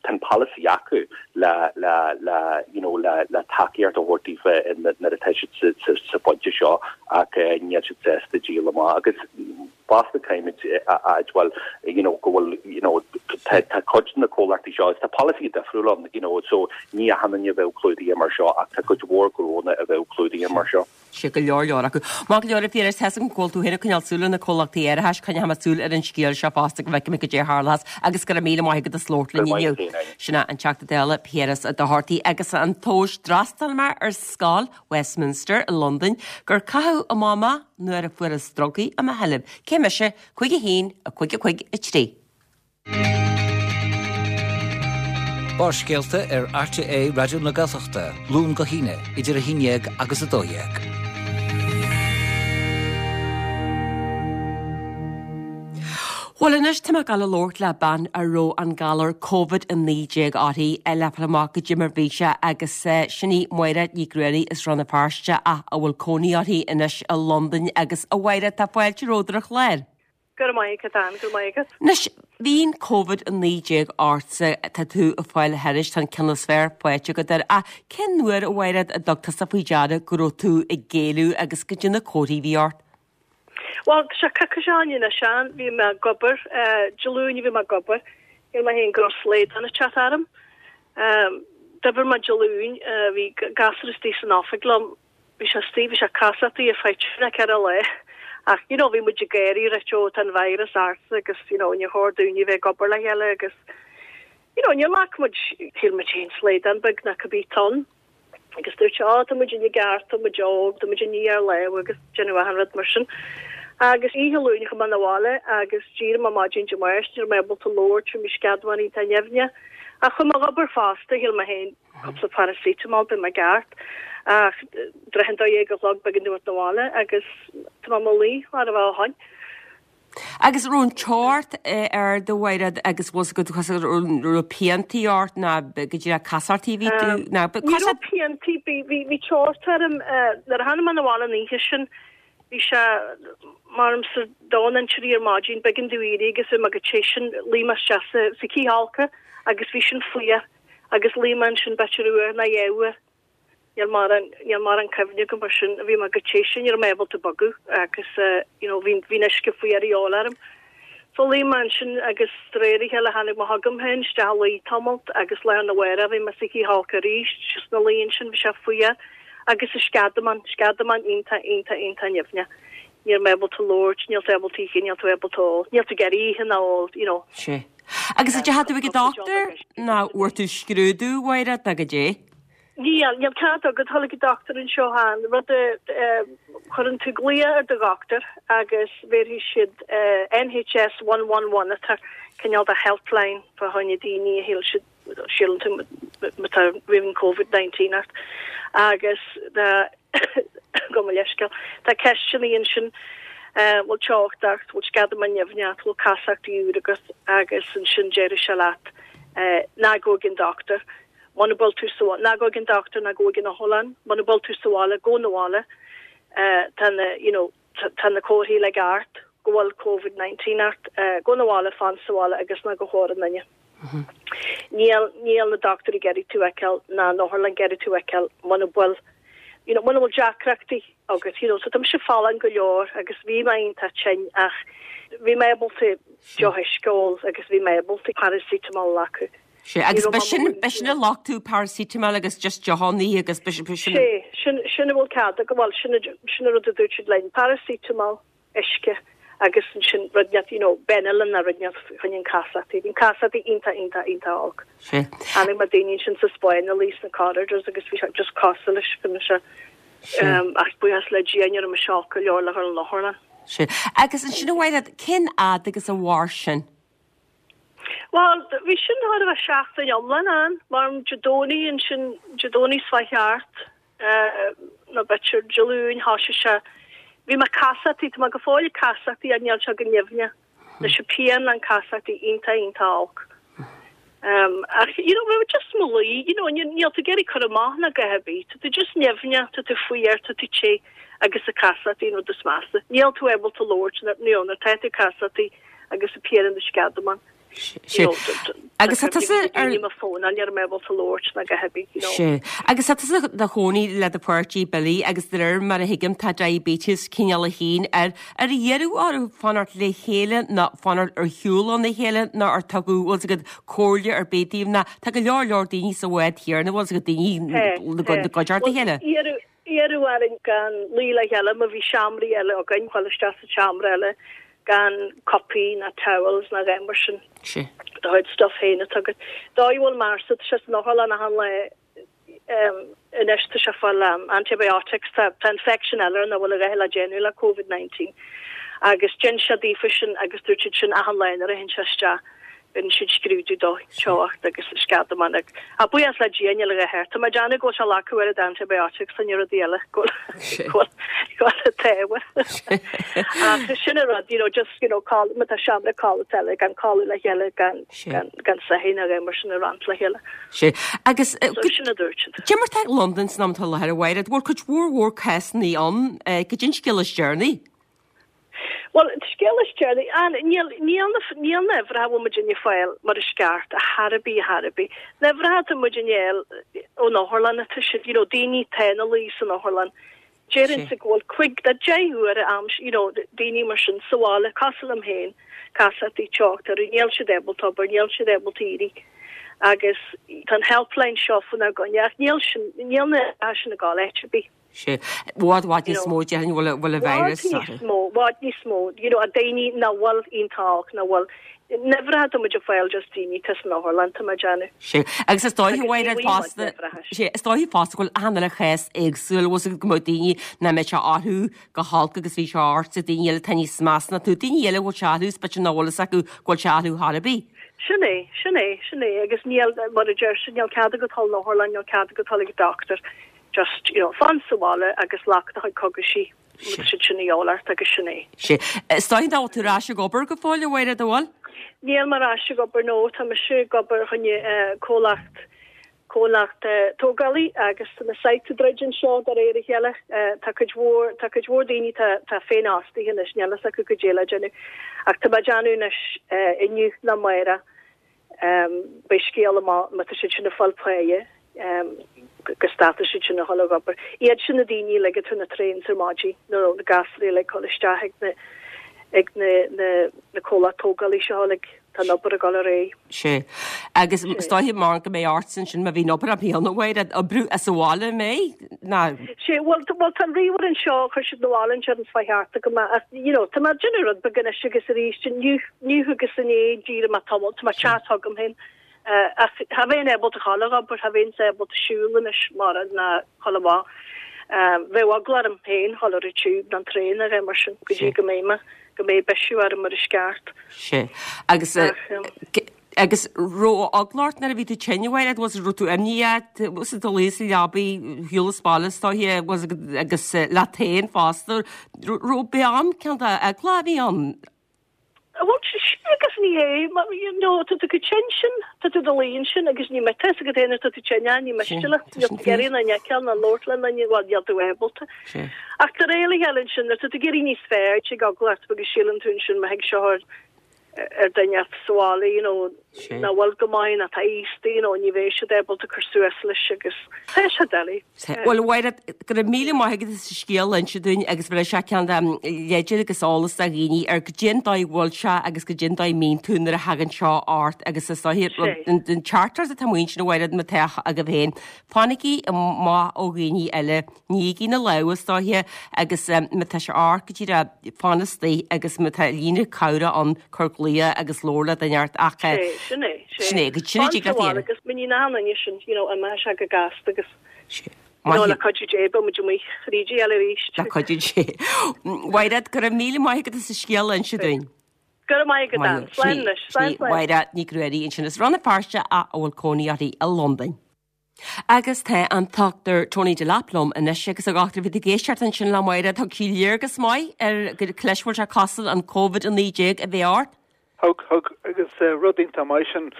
an polasaí acu le le le you know le le tacaíocht a thabhairt daofa nuair atá siad sa phointe seo ach níl siad sásta díol amach agus Fosta caithfimid a admháil you know go bhfuil you know tá tá cuid de na comhlachtaí seo agus tá polasaithe difriúil ann you know so ní achan duine a bheadh clúdaithe mar seo ach tá cuid mhór gnónna a bheadh clúdaithe mar seo. Sea, go leor leor acu. Maith go leor a Phiarais, tá fhios agam go bhfuil tú féin ag coinneáil súil ar na comhlachtaí árachais, coinneoidh mé súil ar an scéal seo fosta go bhfeicfidh mé cad é a tharlós agus go raibh míle maith agat as labhairt linn inniu. Sin é an Teachta Dála Piaras Ó Dochartaigh agus an tomhas d'fhreastail mé ar scoil Westminster i Londain gur caitheadh amach mé nuair a fuarthas drugaí i mo sheilbh. Cé mise? 5 1 5 5 3. Barrscéalta ar RTÉ Raidió na Gaeltachta, Luan go hAoine, idir 11 agus 12. Bhuel anois tá mé ag dul a labhairt le bean a raibh an galar Covid-19 uirthi le fáil amach goidé mar bhí sé agus sin í Máire Ní Ghruairí as Rann na Feirste ach a bhfuil cónaí uirthi anois i Londain agus a Mháire tá fáilte romhat ar an chlár. Go raibh maith agat, Ann, go raibh maith agat. Anois, bhí an Covid-19 ortsa, tá tú ag fáil thairis, tá an ceann is fearr faighte agat air, ach cén uair, a Mháire, a dtug tusa faoi deara go raibh tú ag éalú agus goidé na comharthaí a bhí ort? Bhuel, tá sé coicís ó shin anois, Ann, bhí mé ag obair, Dé Luain a bhí mé ag obair, shíl mé féin go raibh slaghdán ag teacht orm. D'oibir mé Dé Luain, bhí gasúr istigh san oifig liom, bhí sé istigh, bhí sé casachtaí ar feadh trí nó ceithre lá ach you know bhí muid ag gáirí right ó tá an virus ortsa agus you know níor chóir dúinne bheith ag obair le chéile agus you know níor ghlac muid, shíl muid féin slaghdán beag nó cibé atá ann. Agus dúirt sé, Á, tá muid i gceart, tá muid óg, tá muid ag ní ár lámha agus déanamh achan rud mar sin. Agus oíche Luain chuaigh mé 'na bhaile agus d'éirigh mé maidin Dé Máirt, ní raibh mé ábalta labhairt, bhí mo sceadamán iontach nimhneach. Ach chuaigh mé ag obair fosta, shíl mé féin, cúpla paracetamol, beidh mé ceart. Ach droicheann 12 a chlog b'éigean dom a theacht 'na bhaile agus tá mé i mo luí, chóir a bheith ó shoin. Agus raibh an teocht ard a Mháire agus bhfuil 's agat an raibh piantaí ort ná go díreach casachtaí a bhí tú ná Ní raibh piantaí, bhí teocht orm nuair a tháinig mé 'na bhaile an oíche sin bhí sé mar sa dó nó trí ar maidin b'éigean domh éirí agus bhí mé go te sin luigh mé isteach sa cithfholcadh agus bhí sin fuar agus luigh mé ansin b'fhéidir uair nó dhá uair. Níl mórán, níl mórán cuimhne agam mar sin, bhí mé go te sin, ní raibh mé ábalta bogadh agus you know bhí, bhí an uisce fuar a dhíobháil orm. So luigh mé ansin agus de réir a chéile tháinig mé chugam féin isteach a luí tamalt agus lá arna mhárach bhí mé sa chithfholcadh arís, just ina luí ansin bhí sé fuar agus an sceadamán, sceadamán iontach, iontach, iontach nimhneach. Ní raibh mé ábalta labhairt, níl tú ábalta ithe, níl tú ábalta ól, níl tú ag iarraidh ithe ná ól, you know. Sea. Agus an ndeachaigh tú ag an dochtúir nó bhfuair tú scrúdú, a Mháire, nó goidé? Níl, níl cead agat dul ag an dochtúir anseo an rud a chuireann tú glaoch ar do dhochtúir agus bhéarfaidh siad NHS 111 atá cineál de helpline fá choinne daoine a shíl siad síleann tú má tá roimh an Covid-19 ort agus tá gabh mo leithscéal tá ceisteanna ansin bhfuil teocht ort, bhfuil sceadamán nimhneach ort, bhfuil casachtaí úr agat agus ansin déarfaidh sé leat ná gabh ag an dochtúir. Muna bhfuil tú sa bhaile, ná gabh ag an dochtúir ná gabh ag an otharlann, muna bhfuil tú sa bhaile, gabh 'na bhaile. Tá na, you know, tá na comharthaí uilig ort go bhfuil Covid 19 ort. Gabh 'na bhaile, fan sa bhaile agus ná gabh chomhair aon duine. Níl, níl na dochtúirí ag iarraidh tú a fheiceáil ná an otharlann ag iarraidh tú a fheiceáil muna bhfuil, you know, muna bhfuil deacrachtaí agat, you know. So tá mise folláin go leor agus bhí mé iontach tinn ach bhí mé ábalta deoch uisce a ól agus bhí mé ábalta paracetamol a ghlacadh. Sea, agus b'shin, b'shin a ghlac tú paracetamol agus just deochannaí agus b'shin. Sea, sin, sin a bhfuil cead agat, bhuel, sin, sin an rud a dúirt siad linn, paracetamol, uisce agus ansin rud inteacht, you know, Benylin nó rud inteacht fá choinne an casachtaí. Bhí an casachtaí iontach, iontach, iontach olc. Sea. Chonaic mé daoine ansin sa Spáinn ina luí sna corridors agus bhí sé just cosúil leis, bhí mise, ach buíochas le Dia ní raibh mise olc go leor le dhul an otharlann. Sea. Agus ansin a Mháire, cén fhad agus a mhair sin? Bhuel, bhí sin chóir a bheith seachtain iomlán ann, mar Dé Domhnaigh ansin, Dé Domhnaigh seo chuaigh thart, nó b'fhéidir Dé Luain, thoisigh sé, bhí mé casachtaí, tá mé go fóill ag casachtaí ach níl sé chomh nimhneach, leis an pian an casachtaí iontach, iontach olc. Ach, you know, bhí mé just mo luí, you know, níl tú ag iarraidh cur amach ná a dhath ar bith, tá tú just nimhneach, tá tú fuar, tá tú te agus an casachtaí an rud is measa. Níl tú ábalta labhairt, you know, nuair atá tú casachtaí, agus an pian in do sceadamán. Sea. Agus tá tusa ar. Ní mo fón, ní raibh mé ábalta labhairt ná a dhath ar bith, you know. Sea. Agus tá tusa do chónaí le do pháirtí Billy agus de réir mar a thuigim tá diabetes cineál a haon air. Ar iarradh oraibh fanacht le chéile nó fanacht ar shiúl óna chéile nó ar tugadh, bhfuil 's agat, comhairle ar bith daoibh nó tá go leor leor daoine sa bhád chéanna, bhfuil 's agat, daoine i gcuideachta a chéile. Iarradh Iarradh orainn gan luí le chéile má bhí seomraí eile againn, dhul isteach sa tseomra eile gan cupaí ná towels ná a dhath mar sin. Sea. Do chuid stuff féin atá agat. Dóigh a bhfuil mé arsa, tá sé san otharlann achan lá anois, tá sé ag fáil antibiotics, tá tá infection eile air nach bhfuil a dhath le déanamh le Covid 19. Agus d'inis sé daofa sin agus dúirt siad sin achan lá nuair a théann sé isteach. Rinne siad scrúdú do teocht agus sceadamán agus, ah, buíochas le Dia níl a dhath air. Tá mé ag déanamh go bhfuil sé glacadh oiread antibiotics and rudaí eile go bhfuil go bhfuil an t-ádh. Ach sin an rud, you know, just, you know, codladh, má tá seomra codlata eile gan codladh le chéile gan gan gan soithí ná aon mar sin a roinnt le chéile. Sea. Agus So sin a dúirt siad. Cad é mar atá Londain san am atá i láthair a Mháire, bhfuil cuid mhór mhór cásanna ann, cad é an scéal is deireanaí. Bhuel, an scéal is deireanaí, an, níl, níl na, níl na huimhreacha a bhfuil muidinne ag fáil mar is ceart, ar chor ar bith, ar chor ar bith. Na huimhreacha atá muidinne ag fáil ón otharlann atá siad, you know, daoine atá ina luí san otharlann. Déarfainnse go bhfuil cuig nó 10 uair am, you know, daoine mar sin sa bhaile, cosúil liom féin, casacht teocht orthu, níl siad ábalta obair, níl siad ábalta éirí. Agus tá an helpline seo faoinár gcoinne ach níl sin, níl na huimhreacha sin ag dul áit ar bith. Sea. I bhfad, bhfad níos mó, déarfainn, bhfuil bhfuil an virus. Bhfad níos mó, bhfad níos mó, you know, daoine nach bhfuil iontach olc, nach bhfuil, na huimhreacha atá muid ag fáil just daoine atá san otharlann, tá mé ag déanamh. Sea. Agus is dóiche, a Mháire, fosta, sea, is dóiche fosta go bhfuil achan uile chás éagsúil, bhfuil fhios agat go mbeadh daoine nach mbeidh sé orthu go holc agus bhí sé ort, daoine eile atá níos measa ná tú, daoine eile a bhfuil sé orthu is b'fhéidir nach bhfuil fhios acu go bhfuil sé orthu chor ar bith. Sin é, sin é, sin é, agus níl, mar a deir siad, níl cead agat dul 'na otharlann, níl cead agat dul ag an doctor. Just, you know, fan sa bhaile agus glac do chuid cogaisí, má tá siad sin a dhíobháil ort agus sin é. Sea. Is dóigh nach bhfuil tú ar ais ag obair go fóill, a Mháire, an bhfuil? Níl mé ar ais ag obair, no. Tá mise ag obair choinne comhlacht, comhlacht tógálaí agus tá na sites ag druid anseo de réir a chéile. Tá cuid mhór, tá cuid mhór daoine tá, tá féinfhostaithe anois, níl fhios acu goidé le déanamh. Ach tá mé ag déanamh anois inniu nó amárach. Beidh scéal amach má tá siad sin ag fáil páighe go stopfaidh siad sin a dhul ag obair. Iad sin na daoine uilig atá ar na trains ar maidin nuair a na gasraí uilig ag dul isteach ag na ag na na na comhlacht tógálaí seo uilig. Tá an obair ag dul ar aghaidh. Sea. Agus is dóiche mar go mbeidh ortsa ansin má bhíonn obair ar bith ann a Mháire, oibriú as an bhaile an mbeidh? Ná. Sea, bhuel bhuel tá an ríomhaire anseo, chuir siad na bhaile anseo an fáth cheart agam ach you know tá mé ag déanamh rud beag anois agus arís inniu Inniu agus inné d'éirigh mé tamall, tá mé ag teacht chugam féin. Ach cha bheinn ábalta dhul ag obair, cha bheinnse ábalta siúl anois mara ná dhul amach. Bheadh eagla orm féin dhul ar an tube nó an traein nó a dhath mar sin go dtí go mbeidh mé, go mbeidh bisiú orm mar is ceart. Sea. Agus, agus raibh eagla ort nuair a bhí tú tinn, a Mháire, was raibh tú imníoch, was do luí sa leabaidh, shiúl as baile is dóiche, was agus leat féin fosta, raibh b'é an ceann de eagla a bhí ann? Bhuel, sea agus ní hé, mar, you know, tá tú chomh tinn sin, tá tú i do luí ansin agus ní mbeidh a fhios agat féin ar tá tú tinn ná ní miste leat, níl tú ag iarraidh ná feiceáil ná labhairt le duine, bhuel, níl tú ábalta. Ach de réir a chéile ansin, nuair tá tú ag éirí níos fearr, tig eagla ort agus síleann tú ansin má thig seo ar ar duine sa bhaile, you know, nach bhfuil go maith, ná tá aosta, you know, ní bheidh siad ábalta cur suas leis agus tá sé doiligh. Bhuel, a Mháire, go raibh míle maith agat as an scéal a inse dúinn agus bhreis sé ceann de leideanna agus eolas do dhaoine ar goidé an dóigh a bhfuil sé agus goidé an dóigh a mbíonn tú nuair a thagann seo ort agus is dóiche an teachtaireacht atá amuigh ansin a Mháire má tá agaibh féin. Fanaigí amach ó dhaoine eile, nígí na lámha is dóiche agus má tá sé ort go díreach fan istigh agus má tá líne cabhrach ann cuir glaoch agus labhair le duine ort ach Sé, sin é, sé. Sin é, go sin é Fan sa bhaile agus muinín achan duine sin, you know, imeoidh sé go gasta agus You know, le cuidiú Dé, beidh muid amuigh thríd a chéile arís. Le cuidiú Dé. Mháire, go raibh míle maith agat as an scéal a inse dúinn. Go raibh maith agat, Ann. Slán anois. Slán, slán. Máire Nic Ruairí ansin as Rann na Feirste a bhfuil cónaí uirthi i Londain. Agus tá an Dr Tony Delap liom anois agus a dhochtúir, bhí tú ag éisteacht ansin le Máire, thug sí léargas maith ar cad leis bhfuil sé cosúil an Covid-19 a bheith ort. Thug, thug, agus rud iontach maith sin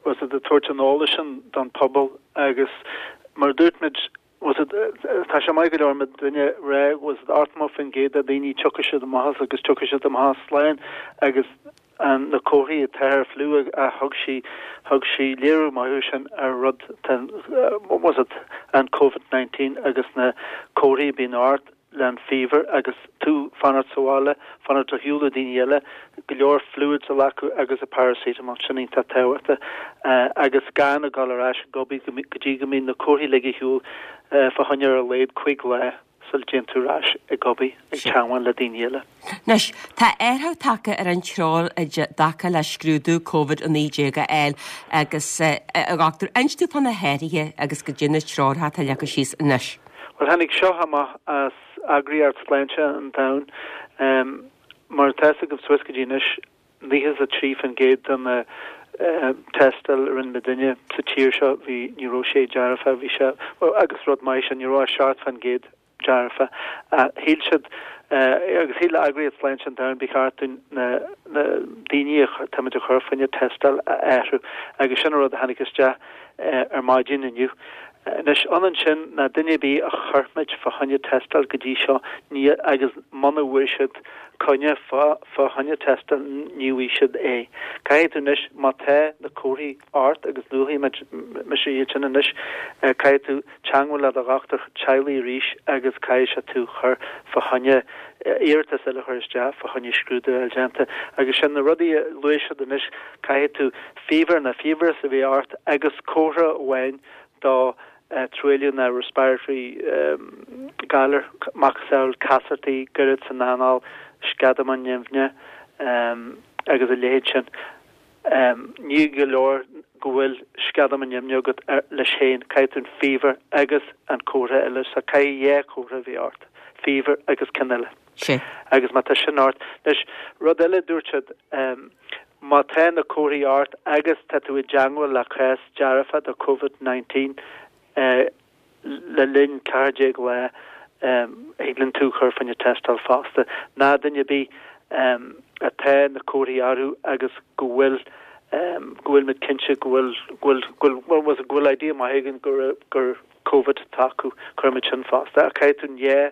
was it ag tabhairt an eolais sin don pobal agus mar a dúirt muid was it tá sé maith go leor mar duine rá was it 80% de daoine tiocfaidh siad amach as agus tiocfaidh siad amach as slán agus an na comharthaí atá ar fliú a thug sí thug sí léiriú maith sin ar rud tá was it an Covid-19 agus na comharthaí a bhíonn ort le an fever agus tú fanacht sa bhaile, fanacht ar shiúl ó daoine eile, go leor fluids a ghlacadh agus a paracetamol, sin iontach tábhachtach, agus gan a dhul ar ais ag obair go dtí go mbíonn na comharthaí uilig ar shiúl fá choinne ar a laghad cuig lá sula dtéann tú ar ais ag obair, ag teagmháil le daoine eile. Anois, tá athrú tagtha ar an treoir i dtaca le scrúdú Covid-19 a fháil agus, a dhochtúir, inis dúinn fá na hathruithe agus goidé na treoracha atá leagtha síos anois. Bhuel, tháinig seo amach as Eagraíocht Sláinte an Domhain. Mar atá fhios agaibh suas go dtí anois, 93% de na. tástáil a rinne muidinne sa tír seo, bhí, ní raibh sé dearfa, bhí sé, bhuel, agus rud maith sin, ní raibh ach 7% dearfa. Shíl siad, agus shíl Eagraíocht Sláinte an Domhain, ba cheart dúinn na daoine atáimid a chur fá choinne tástáil a athrú agus sin an rud a tháinig isteach ar maidin inniu. Anois, ionann sin ná duine ar bith a chuir muid fá choinne tástáil go dtí seo, ní, agus muna bhfuair siad coinne fá fá choinne tástáil, ní bhfaighidh siad é. Caithfidh tú anois, má tá na comharthaí ort, agus luafaidh muid, mise iad sin anois, caithfidh tú teangmháil le do dhochtúir teaghlaigh arís agus caithfidh sé tú chur fá choinne, iarratas eile a chur isteach fá choinne scrúdú a fháil déanta. Agus sin na rudaí a luaigh siad anois, caithfidh tú fever nó fiabhras a bheith ort agus comhartha amháin do truailliú nó respiratory galar, macasamhail casartaí, goirid san anáil, sceadamán nimhne agus a leithéid sin. Ní go leor go bhfuil sceadamán nimhne agat leis féin, caithfidh tú an fever agus an comhartha eile, so caithfidh dhá chomhartha a bheith ort, fever agus ceann eile. Sea. Agus má tá sin ort. Anois, rud eile a dúirt siad, má tá na comharthaí ort agus tá tú i dteangmháil le cás dearfa do Covid 19 le linn 14 lá, thig linn tú chur fá choinne tástáil fosta. Ná duine ar bith atá na comharthaí orthu agus go bhfuil go bhfuil muid cinnte go bhfuil go bhfuil go bhfuil go bhfuil idea maith againn gur gur Covid atá acu, cuirfimid sin fosta. Ach caithfidh tú an dhá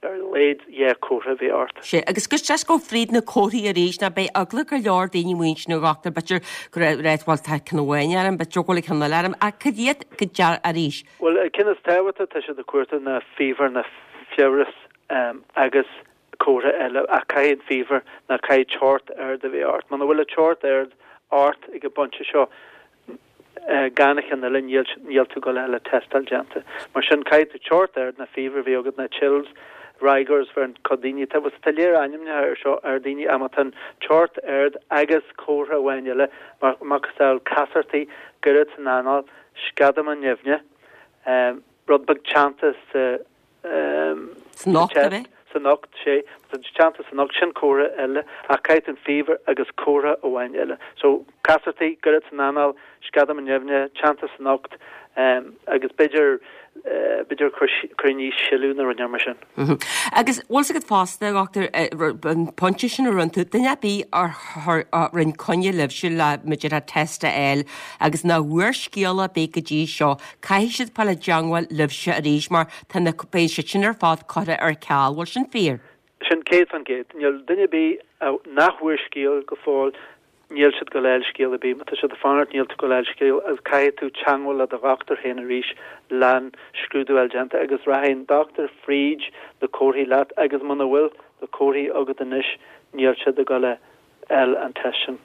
ar a laghad dhá chomhartha a bheith ort. Sea, agus just just gabh fríd na comharthaí arís, ná beidh eagla go leor daoine amuigh ansin a dhochtúir, b'fhéidir go raibh reit, bhuel tá ceann amháin orm, b'fhéidir go bhfuil ceann eile orm, ach cad iad go dear arís? Bhuel, an ceann is tábhachtaí atá siad ag cuartú ná fever ná fiabhras agus comhartha eile, ach caithfidh an fever ná caithfidh teocht ard a bheith ort. Muna bhfuil an teocht ard ort ag an bpointe seo, gan an ceann eile, níl, níl tú ag gabháil a fháil an tástáil déanta. Mar sin, caithfidh tú teocht ard ná fever a bheith agat ná chills, rigors bheireann cuid daoine, tá, tá léir ainmneacha ar seo ar daoine ach má tá an teocht ard agus comhartha amháin eile, mar macasamhail casartaí, goirid san anáil, sceadamán nimhne, rud beag teannta sa San ucht, ab é? San ucht, sea. Tá teannta san ucht, sin comhartha eile, ach caithfidh tú an fever agus comhartha amháin eile. So, casartaí, goirid san anáil, sceadamán nimhne, teannta san ucht, agus b'fhéidir, b'fhéidir cur, cur aníos sileadh nó rud mar sin. Agus bhfuil 's agat fosta, a dhochtúir, an pointe sin a rinne tú, duine ar bith a rinne coinne libhse le b'fhéidir test a fháil agus nach bhfuair scéala ar bith go dtí seo, Caithfidh siad fáil i dteangmháil libhse arís mar tá na, beidh siad sin ar fad curtha ar ceal. Bhfuil sin fíor? Sin 100%. Níl duine ar bith nach bhfuair scéal go fóill, níl siad ag gabháil a fháil scéal ar bith. Má tá siad ag fanacht níl tú ag gabháil a fháil scéal agus caithfidh tú teangmháil le do dhochtúir féin arís le'n scrúdú a fháil déanta agus rachaidh an dochtúir fríd na comharthaí leat agus muna bhfuil na comharthaí agat anois níl siad ag gabháil a fháil an test sin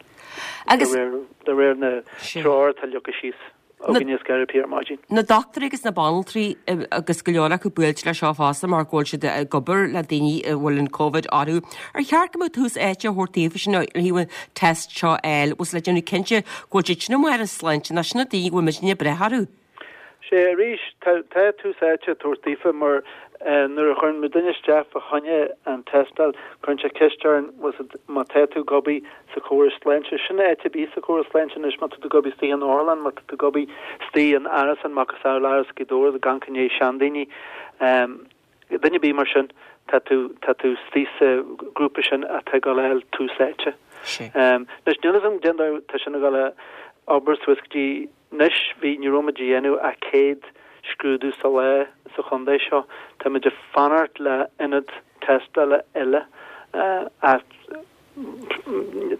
de réir na treoir atá leagtha síos. againne is gairid ar maidin. Na dochtúirí agus na banaltraí agus go leor acu buailte leis seo fosta mar go bhfuil siad ag obair le daoine a bhfuil an Covid orthu. Ar cheart go mbeadh tús áite á thabhairt daofa sin ó thaobh an test seo a fháil, bhfuil le déanamh cinnte go bhfuil siad sin amuigh ar a sláinte nó sin na daoine go bhfuil muidne ag brath orthu. Sea, arís, tá tús áite á tabhairt daofa mar nuair a chuireann muid duine isteach fá choinne an tástáil, cuireann sé ceist orainn, bhfuil 's agat, má tá tú ag obair sa chóras sláinte, sin áit ar bith sa chóras sláinte anois, má tá tú ag obair istigh in otharlann, má tá tú ag obair istigh in árasán, macasamhail Áras Ghaoth Dobhair, ag amharc i ndiaidh seandaoine, duine ar bith mar sin, tá tú, tá tú istigh sa ghrúpa sin atá ag dul a fháil tús áite. Anois, níl 'fhios agam cén dóigh tá sin ag dul a obair suas go dtí anois, bhí, ní raibh muid a dhéanamh ach 100 scrúdú sa lá sa chontae seo. Tá muid ag fanacht le ionad tástála eile ach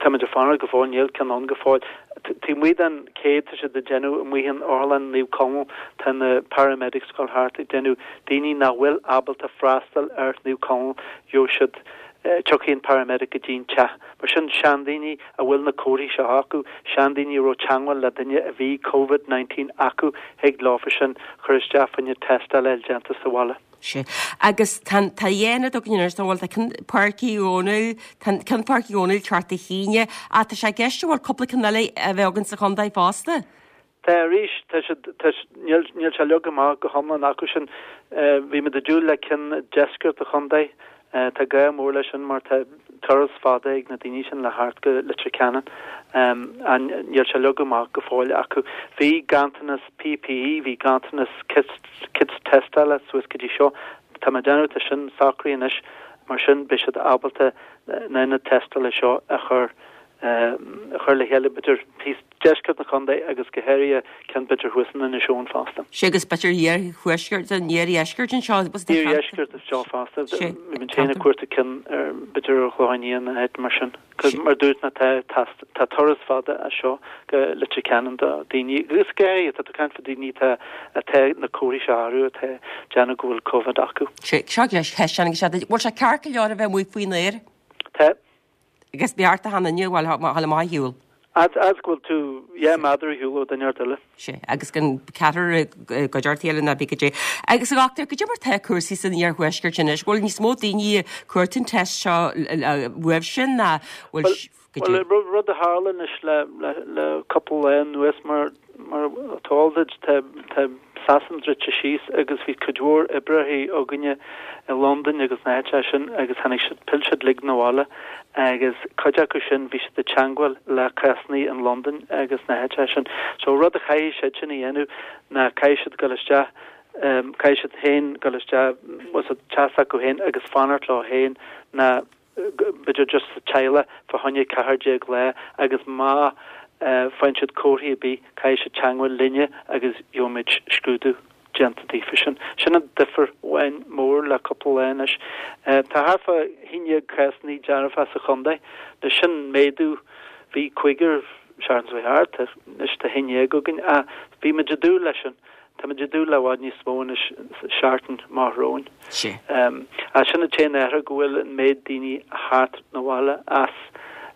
tá muid ag fanacht go fóill, níl ceann ann go fóill. Taobh amuigh den 100 tá siad ag déanamh amuigh in Otharlann Naomh Conaill, tá na paramedics ag dul thart ag déanamh, daoine nach bhfuil ábalta freastal ar Naomh Conaill, gheobhaidh siad, tiocfaidh an paramedic go dtí an teach. Mar sin, seandaoine a bhfuil na comharthaí seo acu, seandaoine a raibh teangmháil le duine a bhí Covid 19 acu, thig leofa sin cur isteach fá choinne tástáil a fháil déanta sa bhaile. Sea. Agus tá an, tá dhá ionad againn anois, tá, bhuel, tá ceann Páirc Uí Dhónaill, tá an ceann Páirc Uí Dhónaill ceart Dé hAoine, ach tá sé i gceist an bhfuil cúpla ceann eile a bheith againn sa chontae fosta? Tá arís, tá siad, tá, níl, níl sé leagtha amach go hiomlán acu sin. Bhí muid ag dúil le ceann i deisceart an chontae. Tá gá mór leis sin mar tá turas fada ag na daoine sin le theacht go Leitir Ceanainn. Níl sé leagtha amach go fóill acu. Bhí ganntanas PPE, bhí ganntanas kits tástála suas go dtí seo. Tá mé ag déanamh, tá sin socraithe anois, mar sin beidh siad ábalta na hionaid tástála seo a chur a chur le chéile, b'fhéidir thíos deisceart an chontae agus go háirithe ceann b'fhéidir thuas in Inis Eoghain fosta. Sea, agus b'fhéidir iarthuaisceart, an iardheisceart anseo. Iardheisceart anseo fosta. Bhí muid féin ag cuartú ceann ar b'fhéidir ar Chlochán Liath nó áit mar sin. Mar dúirt mé tá tá tá turas fada as seo go Leitir Ceanainn do daoine agus go háirithe tá tú ag caint fá daoine atá atá na comharthaí seo orthu atá ag déanamh go bhfuil Covid acu. Sea, seo leis ceist agus bhfuil sé ceart go leor a bheith amuigh faoin aer? Tá. Agus ba cheart d'achan duine a bhfuil a dhul amach ar shiúl. Fhad is go bhfuil tú 10 méadar ar shiúl ó duine ar bith eile. Sea, agus gan ceathrar i gcuideachta a chéile ná bí go dté. Agus a dhochtúir, goidé mar tá cúrsaí san iarthuaisceart anois? Bhfuil níos mó daoine ag cuartú an test seo uaibhse ná bhfuil goidé? Bhuel, rud a tharla anois le le cúpla lá anuas mar Mar atá eol duit, tá Sasana druidte síos agus bhí cuid mhór oibrithe againne i Londain agus na háiteacha sin agus tháinig siad, phill siad uilig 'na bhaile agus cuid acu sin bhí siad i dteangmháil le cásanna in Londain agus na háiteacha sin. So rud a chaithfidh siad sin a dhéanamh ná caithfidh siad dul isteach, caithfidh siad féin dul isteach sa teach s'acu féin agus fanacht leo féin ná b'fhéidir just sa teaghlach fá choinne 14 lá agus má faigheann siad comharthaí ar bith caithfidh siad teangmháil linne agus gheobhaimid scrúdú déanta daofa sin. Sin an difear amháin mór le cúpla lá anois. Tá thart fá 11 cásanna dearfa sa chontae. Anois sin méadú, bhí cúigear seachtain seo thart, anois tá 11 againn ach bhí muid ag dúil leis sin. Táimid ag dúil le i bhfad níos mó anois sa seachtain amach romhainn. Ach sin an t-aon athrú go bhfuil an méid daoine ag theacht 'na bhaile as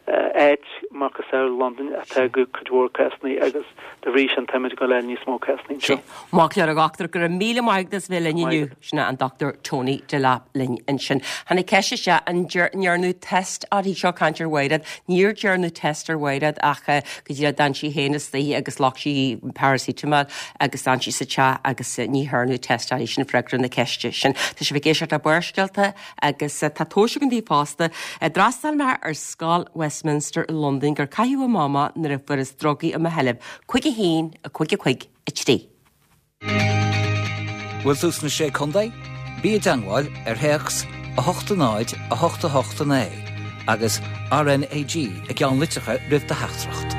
áit macasamhail Londain atá cuid mhór cásanna agus de bhrí sin táimid ag dul a fháil níos mó cásanna anseo. Maith go leor a dhochtúir, go raibh míle maith agat as bheith linn inniu. Sin é an Dr Tony Delap linn ansin. Tháinig ceist isteach an ndearnadh test uirthi seo caint ar Mhairéad. Níor dearnadh test ar Mhairéad ach go díreach d'fhan sí féin istigh agus ghlac sí paracetamol agus d'fhan sí sa teach agus ní dhearnadh test uirthi. Sin freagra na ceiste sin. Tá sibh ag éisteacht le Barrscéalta agus tá tomhais againn daoibh fosta. D'fhreastail mé ar Scoil Westminster i Londain gur caitheadh amach mé nuair a fuarthas drugaí i mo sheilbh. 5 1 5 5 3. Bhfuil tú sna Sé Contae? Bí i dteangmháil ar théacs 8 0 8 8 9 agus RNAG i gceannlitreacha roimh do theachtaireacht.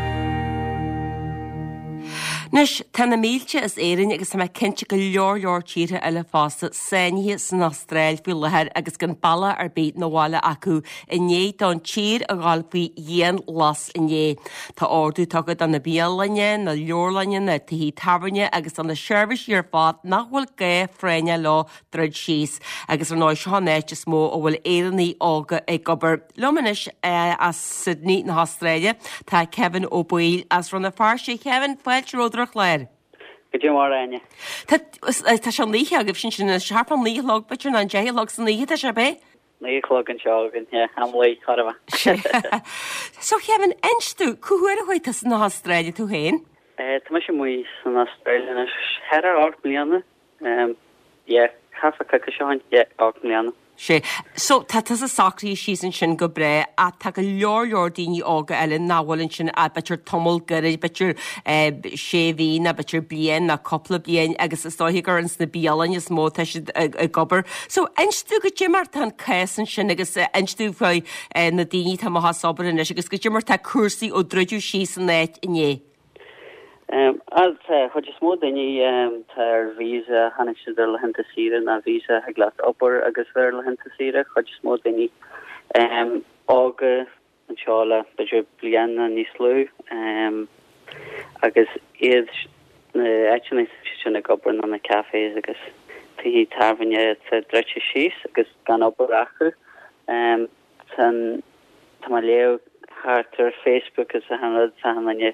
Anois, tá na mílte as Éirinn agus tá mé cinnte go leor leor tíortha eile fosta sáinnithe san Astráil faoi láthair agus gan bealach ar bith 'na bhaile acu i ndiaidh don tír a dhul faoi dhianghlas inné. Tá ordú tugtha do na bialanna, na leabharlanna, na tithe tábhairne agus do na seirbhísí ar fad nach bhfuil gá phráinneach leo druid síos. Agus ar ndóigh seo an áit is mó a bhfuil Éireannaigh óga ag obair. Liom anois as Sydney na hAstráile tá Kevin Ó Baoill as Rann na Feirste. Kevin, fáilte romhat ar an chlár. Goidé mar Áine. Tá tá sé an oíche agaibh sin anois, thart fán naoi a chlog b'fhéidir nó an deich a chlog san oíche tá sé ab é? 9 a chlog anseo againn, yeah, am luí, chóir a bheith. So Kevin, inis domh, cá huair a chuaigh tusa na hAstráile tú féin? Tá mise amuigh san Astráil anois thart ar 8 mbliana, yeah, thart fá coicís ó shin, yeah, 8 mbliana. Sea. So, tá tusa socraithe síos ansin go breá ach tá go leor leor daoine óga eile nach bhfuil ansin ach b'fhéidir tamall gairid, b'fhéidir sé mhí nó b'fhéidir bliain nó cúpla bliain agus is dóiche gur ins na bialanna is mó atá siad ag obair. So, inis domh goidé mar tá an cás ansin agus inis domh faoi na daoine atá amuigh as obair anois agus goidé mar tá cúrsaí ó druideadh síos an áit inné. An chuid is mó daoine tá ar visa, tháinig siad ar laethanta saoire nó visa thig leat obair agus bheith ar laethanta saoire, chuid is mó daoine óga anseo le b'fhéidir bliain nó níos lú agus iad na áiteanna sin ag obair ná na cafés agus tithe tábhairne atá druidte síos agus gan obair acu. Tá tá mé ag léamh thart ar Facebook is achan rud tá achan duine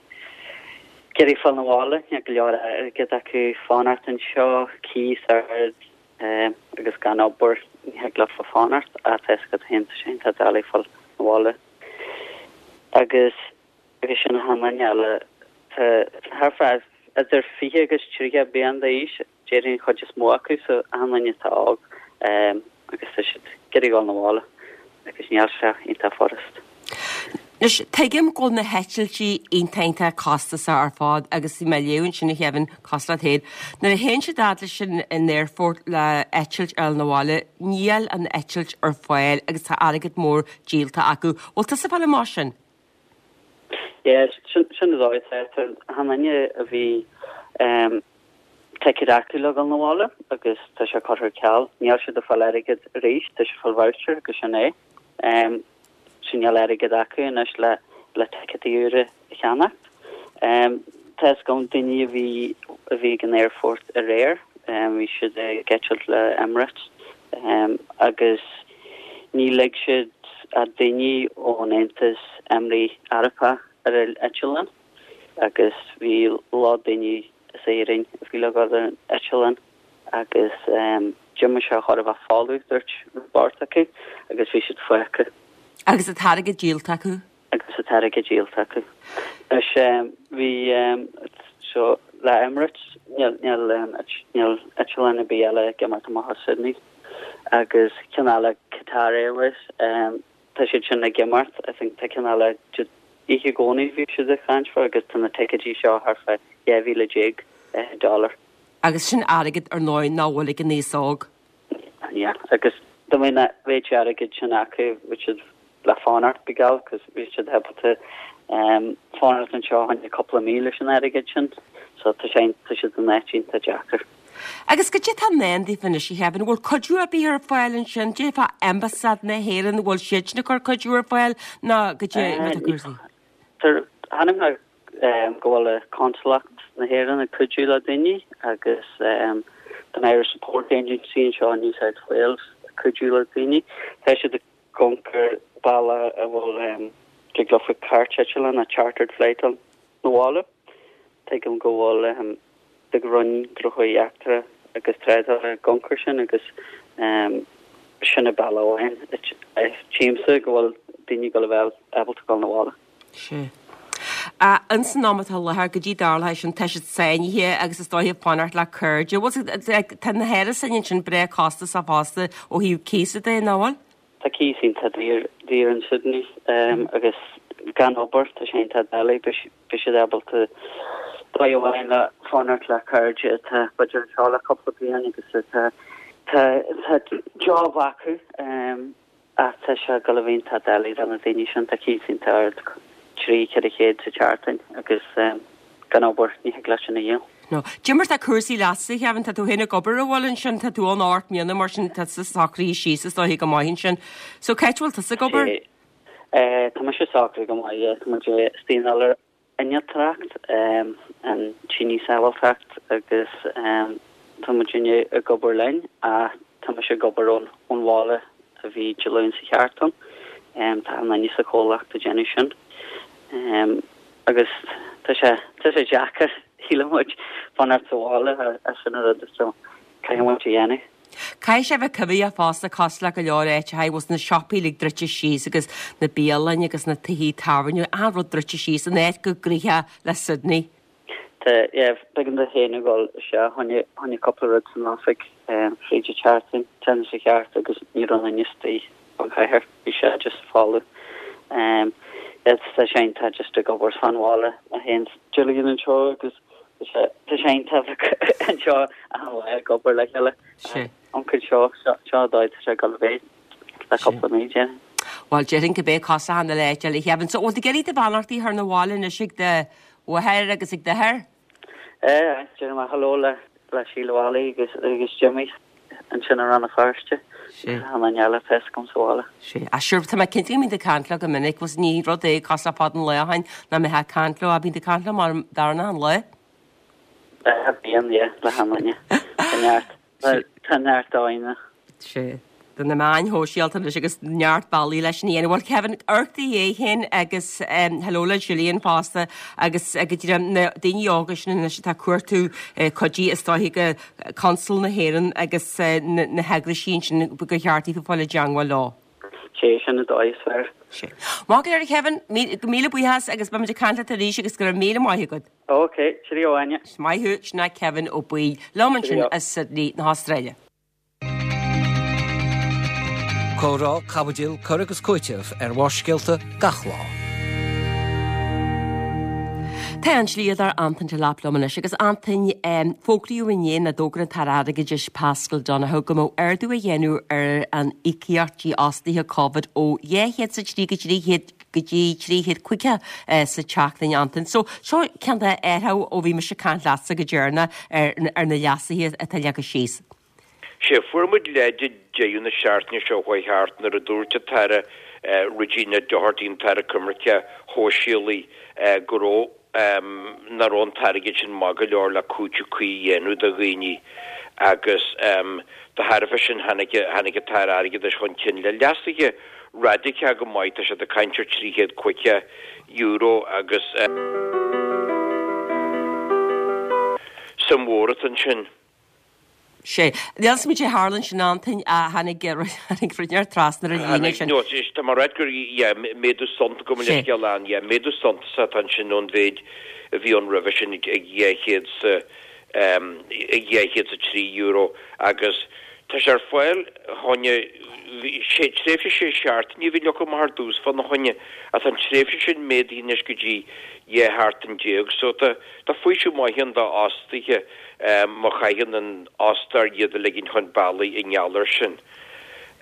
ag iarraidh fáil 'na bhaile, níl go leor airgead acu fanacht anseo, cíos ard. Agus gan obair, ní thig leofa fanacht, ach tá fhios agat féin, tá sé iontach doiligh fáil 'na bhaile. Agus agus sin achan duine eile, tá thart fá idir 20 agus 30 bliain d'aois, déarfainn an chuid is mó acu, so achan duine atá óg. agus tá siad ag iarraidh dul 'na bhaile agus níl sé iontach furast. Anois, tuigim go bhfuil na heitiltí iontach iontach costasach ar fad agus bhí mé ag léamh ansin a Kevin, cosúil leat féin, nuair a théann siad fhad leis an aerfort le eitilt a fháil 'na bhaile, níl an eitilt ar fáil agus tá airgead mór díolta acu. Bhfuil tusa ag fáil amach sin? Yeah, sin sin an dóigh atá. Tá achan duine a bhí ticéad acu le dhul 'na bhaile agus tá sé curtha ar ceal. Níl siad ag fáil airgead arís, tá siad ag fáil voucher agus sin é. So níl airgead acu anois le le ticéadaí úra a cheannacht. Tá fhios agam daoine a bhí a bhí ag an aerfort aréir, bhí siad ag eitilt le Emirates agus ní lig siad ach daoine ón Aontas Éimirí Arabach ar an eitleán agus bhí lot daoine as Éirinn a bhí le dhul ar an eitleán agus d'imigh sé chóir a bheith folamh, dúirt beirt acu, agus bhí siad fágtha. Agus an t-airgead díolta acu? Agus an t-airgead díolta acu. Anois bhí so le Emirates níl níl níl eitleán ar bith eile ag imeacht amach as Sydney agus ceann eile Qatar Airways tá siad sin ag imeacht I think tá ceann eile oíche Dhomhnaigh bhí siad ag caint fá agus tá na ticéidí seo thart fá 12,000 dollar. Agus sin airgead ar ndóigh nach bhfuil ag an aos óg. Yeah, agus dá mbeadh an méid airgid sin acu bhí siad le fanacht go geal cos bhí siad ábalta fanacht anseo fá choinne cúpla mí leis an airgead sin so tá sé tá siad in áit iontach deacair. Agus goidé atá i ndán daofa anois a Kevin, an bhfuil cuidiú ar bith ar fáil ansin, goidé fá Ambasáid na hÉireann, an bhfuil siad sin ag cur cuidiú ar fáil nó goidé mar atá cúrsaí? Chonaic mé go bhfuil Consalacht na hÉireann ag cuidiú le daoine agus tá an Irish Support Agency anseo in New South Wales ag cuidiú le daoine. Tá siad ag amharc ar bealach a bhfuil dtig leofa cairt eitleáin nó chartered flight 'na bhaile. Tuigim go bhfuil an Roinn Gnóthaí Eachtracha agus Trádála ag amharc air sin agus sin an bealach amháin tchímse go bhfuil daoine ag dul a bheith ábalta dul 'na bhaile. Sea. Ins an am atá i láthair, goidé a tharlóidh sin, tá siad sáinnithe agus is dóiche ag fanacht le cairde. Bhuel, tá na hárasáin ansin breá costasach fosta ó thaobh cíosa de, nach bhfuil? Tá cíos iontach daor daor in Sydney agus gan obair tá sé iontach doiligh beidh siad ábalta dóigh amháin le fanacht le cairde atá b'fhéidir anseo le cúpla bliain agus atá tá tá job acu ach tá sé ag dul a bheith iontach doiligh do na daoine sin tá cíos iontach ard 3 400 sa tseachtain agus gan obair, ní thig leat sin a dhíol. No. Goidé mar tá cúrsaí leatsa, a Kevin, tá tú féin ag obair an bhfuil ansin, tá tú ann 8 mbliana mar sin tá tusa socraithe síos is dóiche go maith ansin. So cá háit a bhfuil tusa ag obair? Eh, tá mise socraithe go maith, yeah. Tá muid istigh in innealtóireacht, an tine sábháilteacht agus tá muidinne ag obair linn ach tá mise ag obair ón ón bhaile a bhí Dé Luain sa tseachtain. Tá an duine sa chomhlacht ag déanamh sin. Agus tá sé, tá sé deacair, shíl muid, fanacht sa bhaile as sin an rud so caithfidh muid a dhéanamh. Caithfidh sé a bheith coimhthíoch fosta cosúil le go leor áiteacha, bhfuil na siopaí uilig druidte síos agus na bialainn agus na tithe tábhairne, achan rud druidte síos, an áit chomh gnoitheach le Sydney. Tá, yeah, b'éigean domh féin a dhul isteach, fá choinne cúpla rud san oifig fríd an tseachtain, déanamh sa cheart agus ní raibh aon duine istigh fán chathair, bhí sé just folamh. Yeah, tá sé iontach just ag obair fán bhaile, mé féin 's Gillian anseo agus tá sé, tá sé iontach bheith anseo achan lá ag obair le chéile. Sea. Amharc anseo, seo, seo an dóigh tá sé ag dul a bheith le cúpla mí, déarfainn. Bhuel, déarfainn go mbeidh cosúil le achan uile áit eile, a Kevin. So, bhfuil tú ag iarraidh do bheannachtaí a chur 'na bhaile anois ag do mháthair agus ag d'athair? Eh, déarfaidh mé hello le le Síle Mholly agus agus Jimmy ansin i Rann na Feirste. Sea. Tá an eile fós agam sa bhaile. Sea. Ah, sure, tá mé cinnte go mbíonn tú ag caint leo go minic, bhuel ní rud é cosúil le fad an lae ó shin nach mbeifeá ag caint leo, ach bíonn tú ag caint leo mar darna an lae. Eh, bíonn, yeah, le achan duine. Tá neart. Tá neart dóigheanna. Sea. Tá na meáin shóisialta anois agus neart bealaí leis sin a dhéanamh. Bhuel, Kevin, amharc do Dhia féin agus hello le Gillian fosta agus go dtí na daoine óga sin anois atá ag cuartú cuidí is dóiche go Consal na hÉireann agus na heagraisí ansin go cheart daofa fáil i dteangmháil leo. Sea, sin an dóigh is fearr. Sea. Maith go leor, Kevin, míle buíochas agus beimid ag caint leat arís agus go raibh míle maith agat. Ok, cheerio Áine. Maith thú, sin é Kevin Ó Baoill liom ansin as Sydney na hAstráile. Comhrá, caibidil, cur agus cúiteamh ar Bharrscéalta gach lá. Tá an dlíodóir Antain Delap liom anois agus Antain, fógraíodh inné nó d'fhógair an tAire Airgeadais Paschal Donohoe go mbeadh ardú á dhéanamh ar an íocaíocht dífhostaithe Covid ó 203 go 300 go dtí 350 sa tseachtain, Antain. So, seo ceann de athrú ó bhí mise ag caint leatsa go deireanach ar ar na leasuithe atá leagtha síos. Sea, fuair muid leid ag deireadh na seachtaine seo chuaigh thart nuair a dúirt an tAire Regina Doherty, an tAire Coimirce Shóisialaí, go raibh, nach raibh an t-airgead sin maith go leor le cúiteamh cuí a dhéanamh do dhaoine agus de thairbhe sin tháinig, tháinig an tAire Airgeadais chun cinn le leasuithe raidiceacha go maith, tá siad ag caint ar €350 agus suim mhór atá ansin. Sea. Níl 's agam caidé a tharla ansin Antain ach tháinig tháinig rud inteacht trasna ar an líne sin. No, tá mé ag ráit gur, yeah, méadú suntasach, gabh mo leithscéal ann, yeah, méadú suntasach atá ansin ón mhéid a bhí ann roimhe sin ag 200 sa, ag €203 agus tá sé ar fáil fá choinne, sé, tréimhse sé seachtaine a bhí leagtha amach ar dtús fána choinne ach tá an tréimhse sin méadaithe anois go dtí 12 sheachtain so tá, tá faoiseamh maith ann d'fhostaithe. má chaitheann an fhostóir iad a ligint chun bealaigh i ngeall air sin.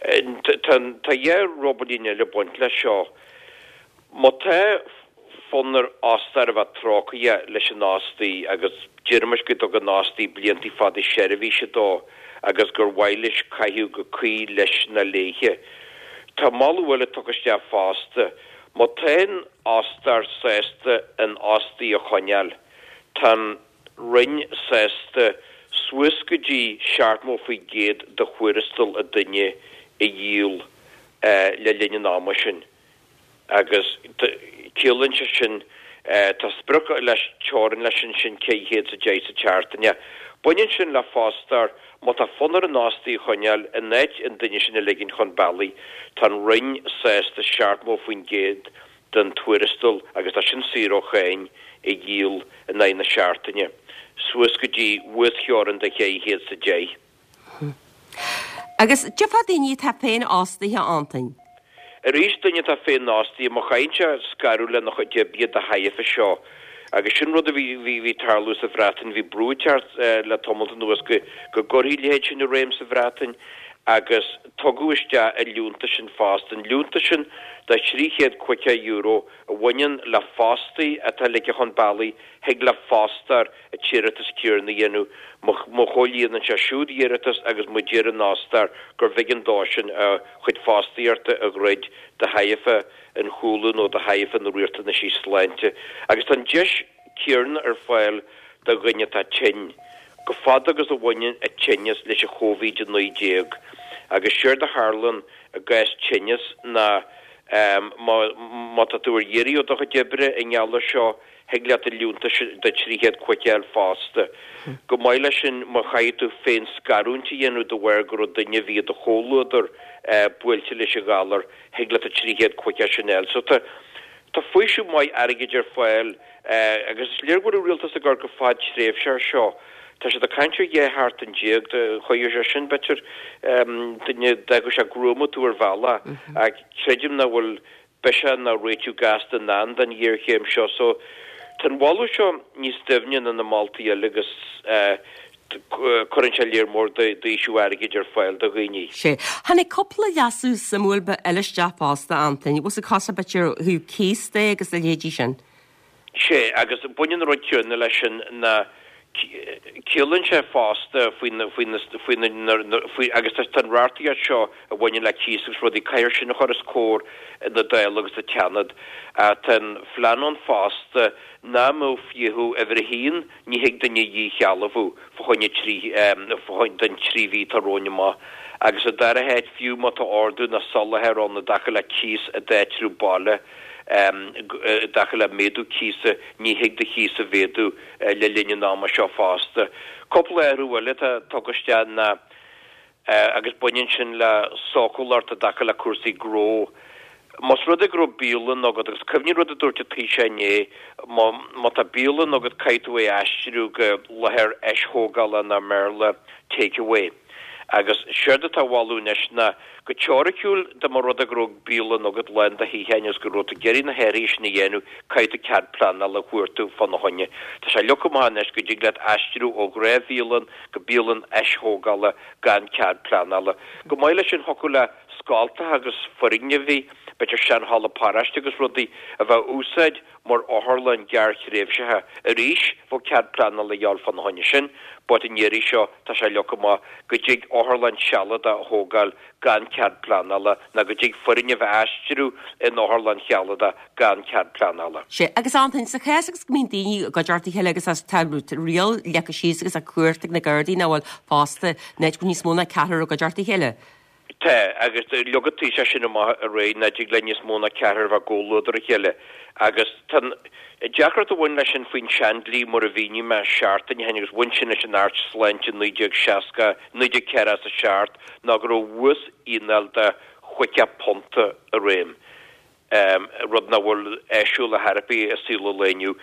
Tá dhá ruballín eile ag baint leis seo. Má tá fonn ar fhostóir a bheith trócaireach leis an fhostaí agus deirimis go dtug an fhostaí blianta fada seirbhíse dó agus gur mhaith leis caitheamh go cuí leis nó léithe. Tá moladh eile tugtha isteach fosta. Má tá an fhostóir sásta an fhostaí a choinneáil, tá an. Roinn sásta suas go dtí 70% de thuarastal an duine a dhíol le linn an ama sin agus ciallaíonn sé sin, tá sprioc leis, teorainn leis ansin 410 sa tseachtain. Baineann sin le fostóir, má tá fonn ar an fhostaí a choinneáil, in áit an duine sin a ligint chun bealaigh, tá an Roinn sásta 70% den tuarastal, agus tá sin saor ó cháin, a dhíol in aghaidh na seachtaine, suas go dtí uastheorainn de 410. Agus cad fá daoine atá féinfhostaithe, Antain? Arís, duine atá féinfhostaithe, má chaitheann sé scaradh lena chuid oibre de thairbhe seo, agus sin rud a bhí bhí ag tarlú sa Bhreatain, bhí brú ag teacht le tamalt anuas go go gcuirfí a leithéid sin i réim sa Bhreatain, agus tugadh isteach an liúntas sin fosta, an liúntas sin de €350 a bhaineann le fostaí atá ligthe chun bealaigh, thig le fostóir an t-iarratas céanna a dhéanamh má chomhlíonann sé siúd a iarratas agus má deir an fhostóir gurbh éigean dó sin a chuid fostaíochta a dhruid de thairbhe an chúlú nó de thairbhe na riachtanaisí sláinte. Agus tá an deis céanna ar fáil do dhuine atá tinn, go fada agus a bhaineann an tinneas leis an Chóivid-19. Agus séard a tharlaíonn i gcás tinneas ná má tá tú ar iarraidh ó do chuid oibre i ngeall air seo, thig leat an liúntas de 350 a fháil fosta. Go maith leis sin, má chaithfidh tú féin-scarúint a dhéanamh de bharr go raibh duine a bhí i do chomhluadar buailte leis an ghalar, thig leat an 350 sin a fháil. So tá tá faoiseamh maith airgid ar fáil agus is léir go bhfuil an rialtas ag amharc go fadtréimhseach air seo. Tá siad ag caint ar 12 sheachtain, chuirfeadh sé sin b'fhéidir duine, d'fhágfadh sé gruama tú ar bhealach ach creidim nach bhfuil biseach ná réiteach gasta i ndán don ghéarchéim seo. So tá an moladh seo níos doimhne ná na moltaí eile agus cuireann sé léar mór d'fhaoiseamh airgid ar fáil do dhaoine. Sea. Tháinig cúpla leasú suimiúil eile isteach fosta, Antain. Bhfuil a fhios agat b'fhéidir ó thaobh cíos de agus a leithéidí sin. Sea, agus baineann an rud céanna leis sin ná ciallaíonn sé fosta faoi na, faoi na, faoi na, na, faoi, agus tá an reachtaíocht seo a bhaineann le cíos agus rudaí, caithfear sin a chur os comhair na Dála agus an tSeanad. Tá an phlean ann fosta nach mbeadh fiachadh uimhir a haon, ní thig duine a dhíshealbhú fá choinne trí, fá choinne, don trí mhí atá romhainn amach. Agus sa dara háit, fiú má tá ordú nó soláthar ann i dtaca le cíos i d'áitreabh baile, i dtaca le méadú cíosa, ní thig do chíos a mhéadú le linn an ama seo fosta. Cúpla athrú eile atá tugtha isteach ná, agus baineann sin le sócúlacht i dtaca le cúrsaí gnó. Más rud é go raibh bialann agat, agus cuimhnigh rud a dúirt an Taoiseach inné, má, má tá bialann agat caithfidh tú é a aistriú go láthair eisthógála nó i mBéarla, take away. Agus séard atá á mholadh anois ná, go teoiriciúil, dá mba rud é go raibh bialann agat lán de shuíocháin agus go raibh tú ag iarraidh na hathruithe sin a dhéanamh, caithfidh tú cead pleanála a chuartú fána choinne. Tá sé leagtha amach anois go dtig leat aistriú ó ghnáthbhialann go bialann aisthógála gan cead pleanála. Chomh maith leis sin, thiocfadh le scoltacha agus foirgnimh, b'fhéidir sean-halla paráiste agus rudaí, a bheith á úsáid mar otharlann gearrthréimhseacha. Arís, bheadh cead pleanála a dhíobháil fána choinne sin, but an iarraidh seo tá sé leagtha amach go dtig otharlann sealadach a thógáil gan cead pleanála ná go dtig foirgneamh a aistriú in otharlann shealadach gan cead pleanála. Sea, agus Antain, sa chás agus go mbíonn daoine i gcuideachta a chéile agus as tá riail leagtha síos agus tá cumhacht ag na Gardaí nach bhfuil fosta, in áit go bhfuil níos mó ná ceathrar i gcuideachta a chéile. Tá, agus leag an Taoiseach sin amach aréir, nach dtig le níos mó ná ceathrar a bheith i gcomhluadar a chéile. Agus tá an deacracht a bhain leis sin faoin seandlí, mar a mhínigh mé seachtain ó shin, agus bhain sin leis an Acht Sláinte 1960, 1947, ná go raibh uasfhíneáil de chaoga punta i réim. rud nach bhfuil áisiúil ar chor ar bith i saol an lae inniu.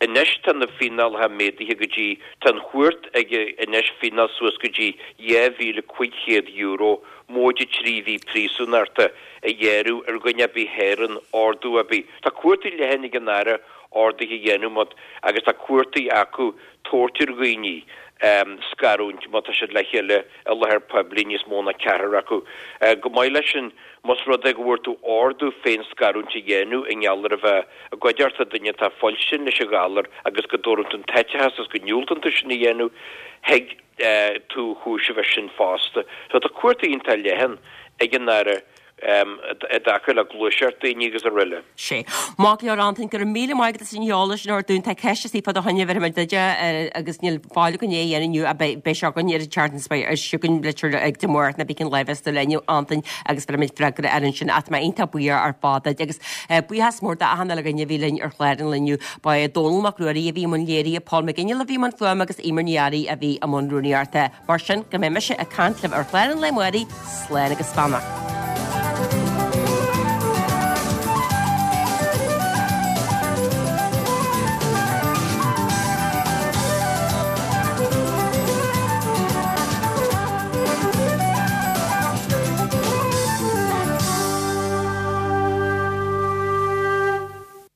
Anois tá na fíneálacha méadaithe go dtí, tá an chúirt ag anois fíneáil suas go dtí €2,500, móide 3 mhí príosúnachta, a ghearradh ar dhuine ar bith a sháraíonn ordú ar bith. Tá cumhachtaí leathan ag an Aire orduithe a dhéanamh má, agus tá cumhachtaí acu tabhairt ar dhaoine scarúint má tá siad le chéile i láthair poiblí, níos mó ná ceathrar acu. Chomh maith leis sin, Más rud é go bhfuair tú ordú féin-scarúint a dhéanamh i ngeall ar a bheith i gcuideachta duine atá fuilteach leis an ghalar agus go dtabharann tú an t-eiteachas agus go ndiúltaíonn tú sin a dhéanamh, thig tú a chúiseamh as sin fosta. So tá cumhachtaí iontach leathan ag an Aire i dtaca le gluaiseacht daoine agus araile. Sea. Maith go leor Antain, go raibh míle maith agat as an eolas sin a thabhairt dúinn. Tá ceist istigh fá do choinne bhéarfaidh muid duit é agus níl fáil againn é a dhéanamh inniu ach beidh beidh sé againn ar an tseachtain seo beidh sé chugainn litir ag Dé Máirt nó pé cén lá a bheas tú linn Antain agus bhéarfaidh muid freagra air ansin ach tá mé iontach buíoch ar fad duit agus buíochas mór d'achan uile dhuine a bhí linn ar chlár an lae inniu. Ba é Dónall Mac Ruairí a bhí i mbun léirithe, Paul McGinley a bhí i mbun fuaime agus Eimear Ní Fhearraigh a bhí i mbun rúnaíochta. Mar sin, go mbeidh mise ag caint libh ar chlár an lae amárach, slán agus beannacht.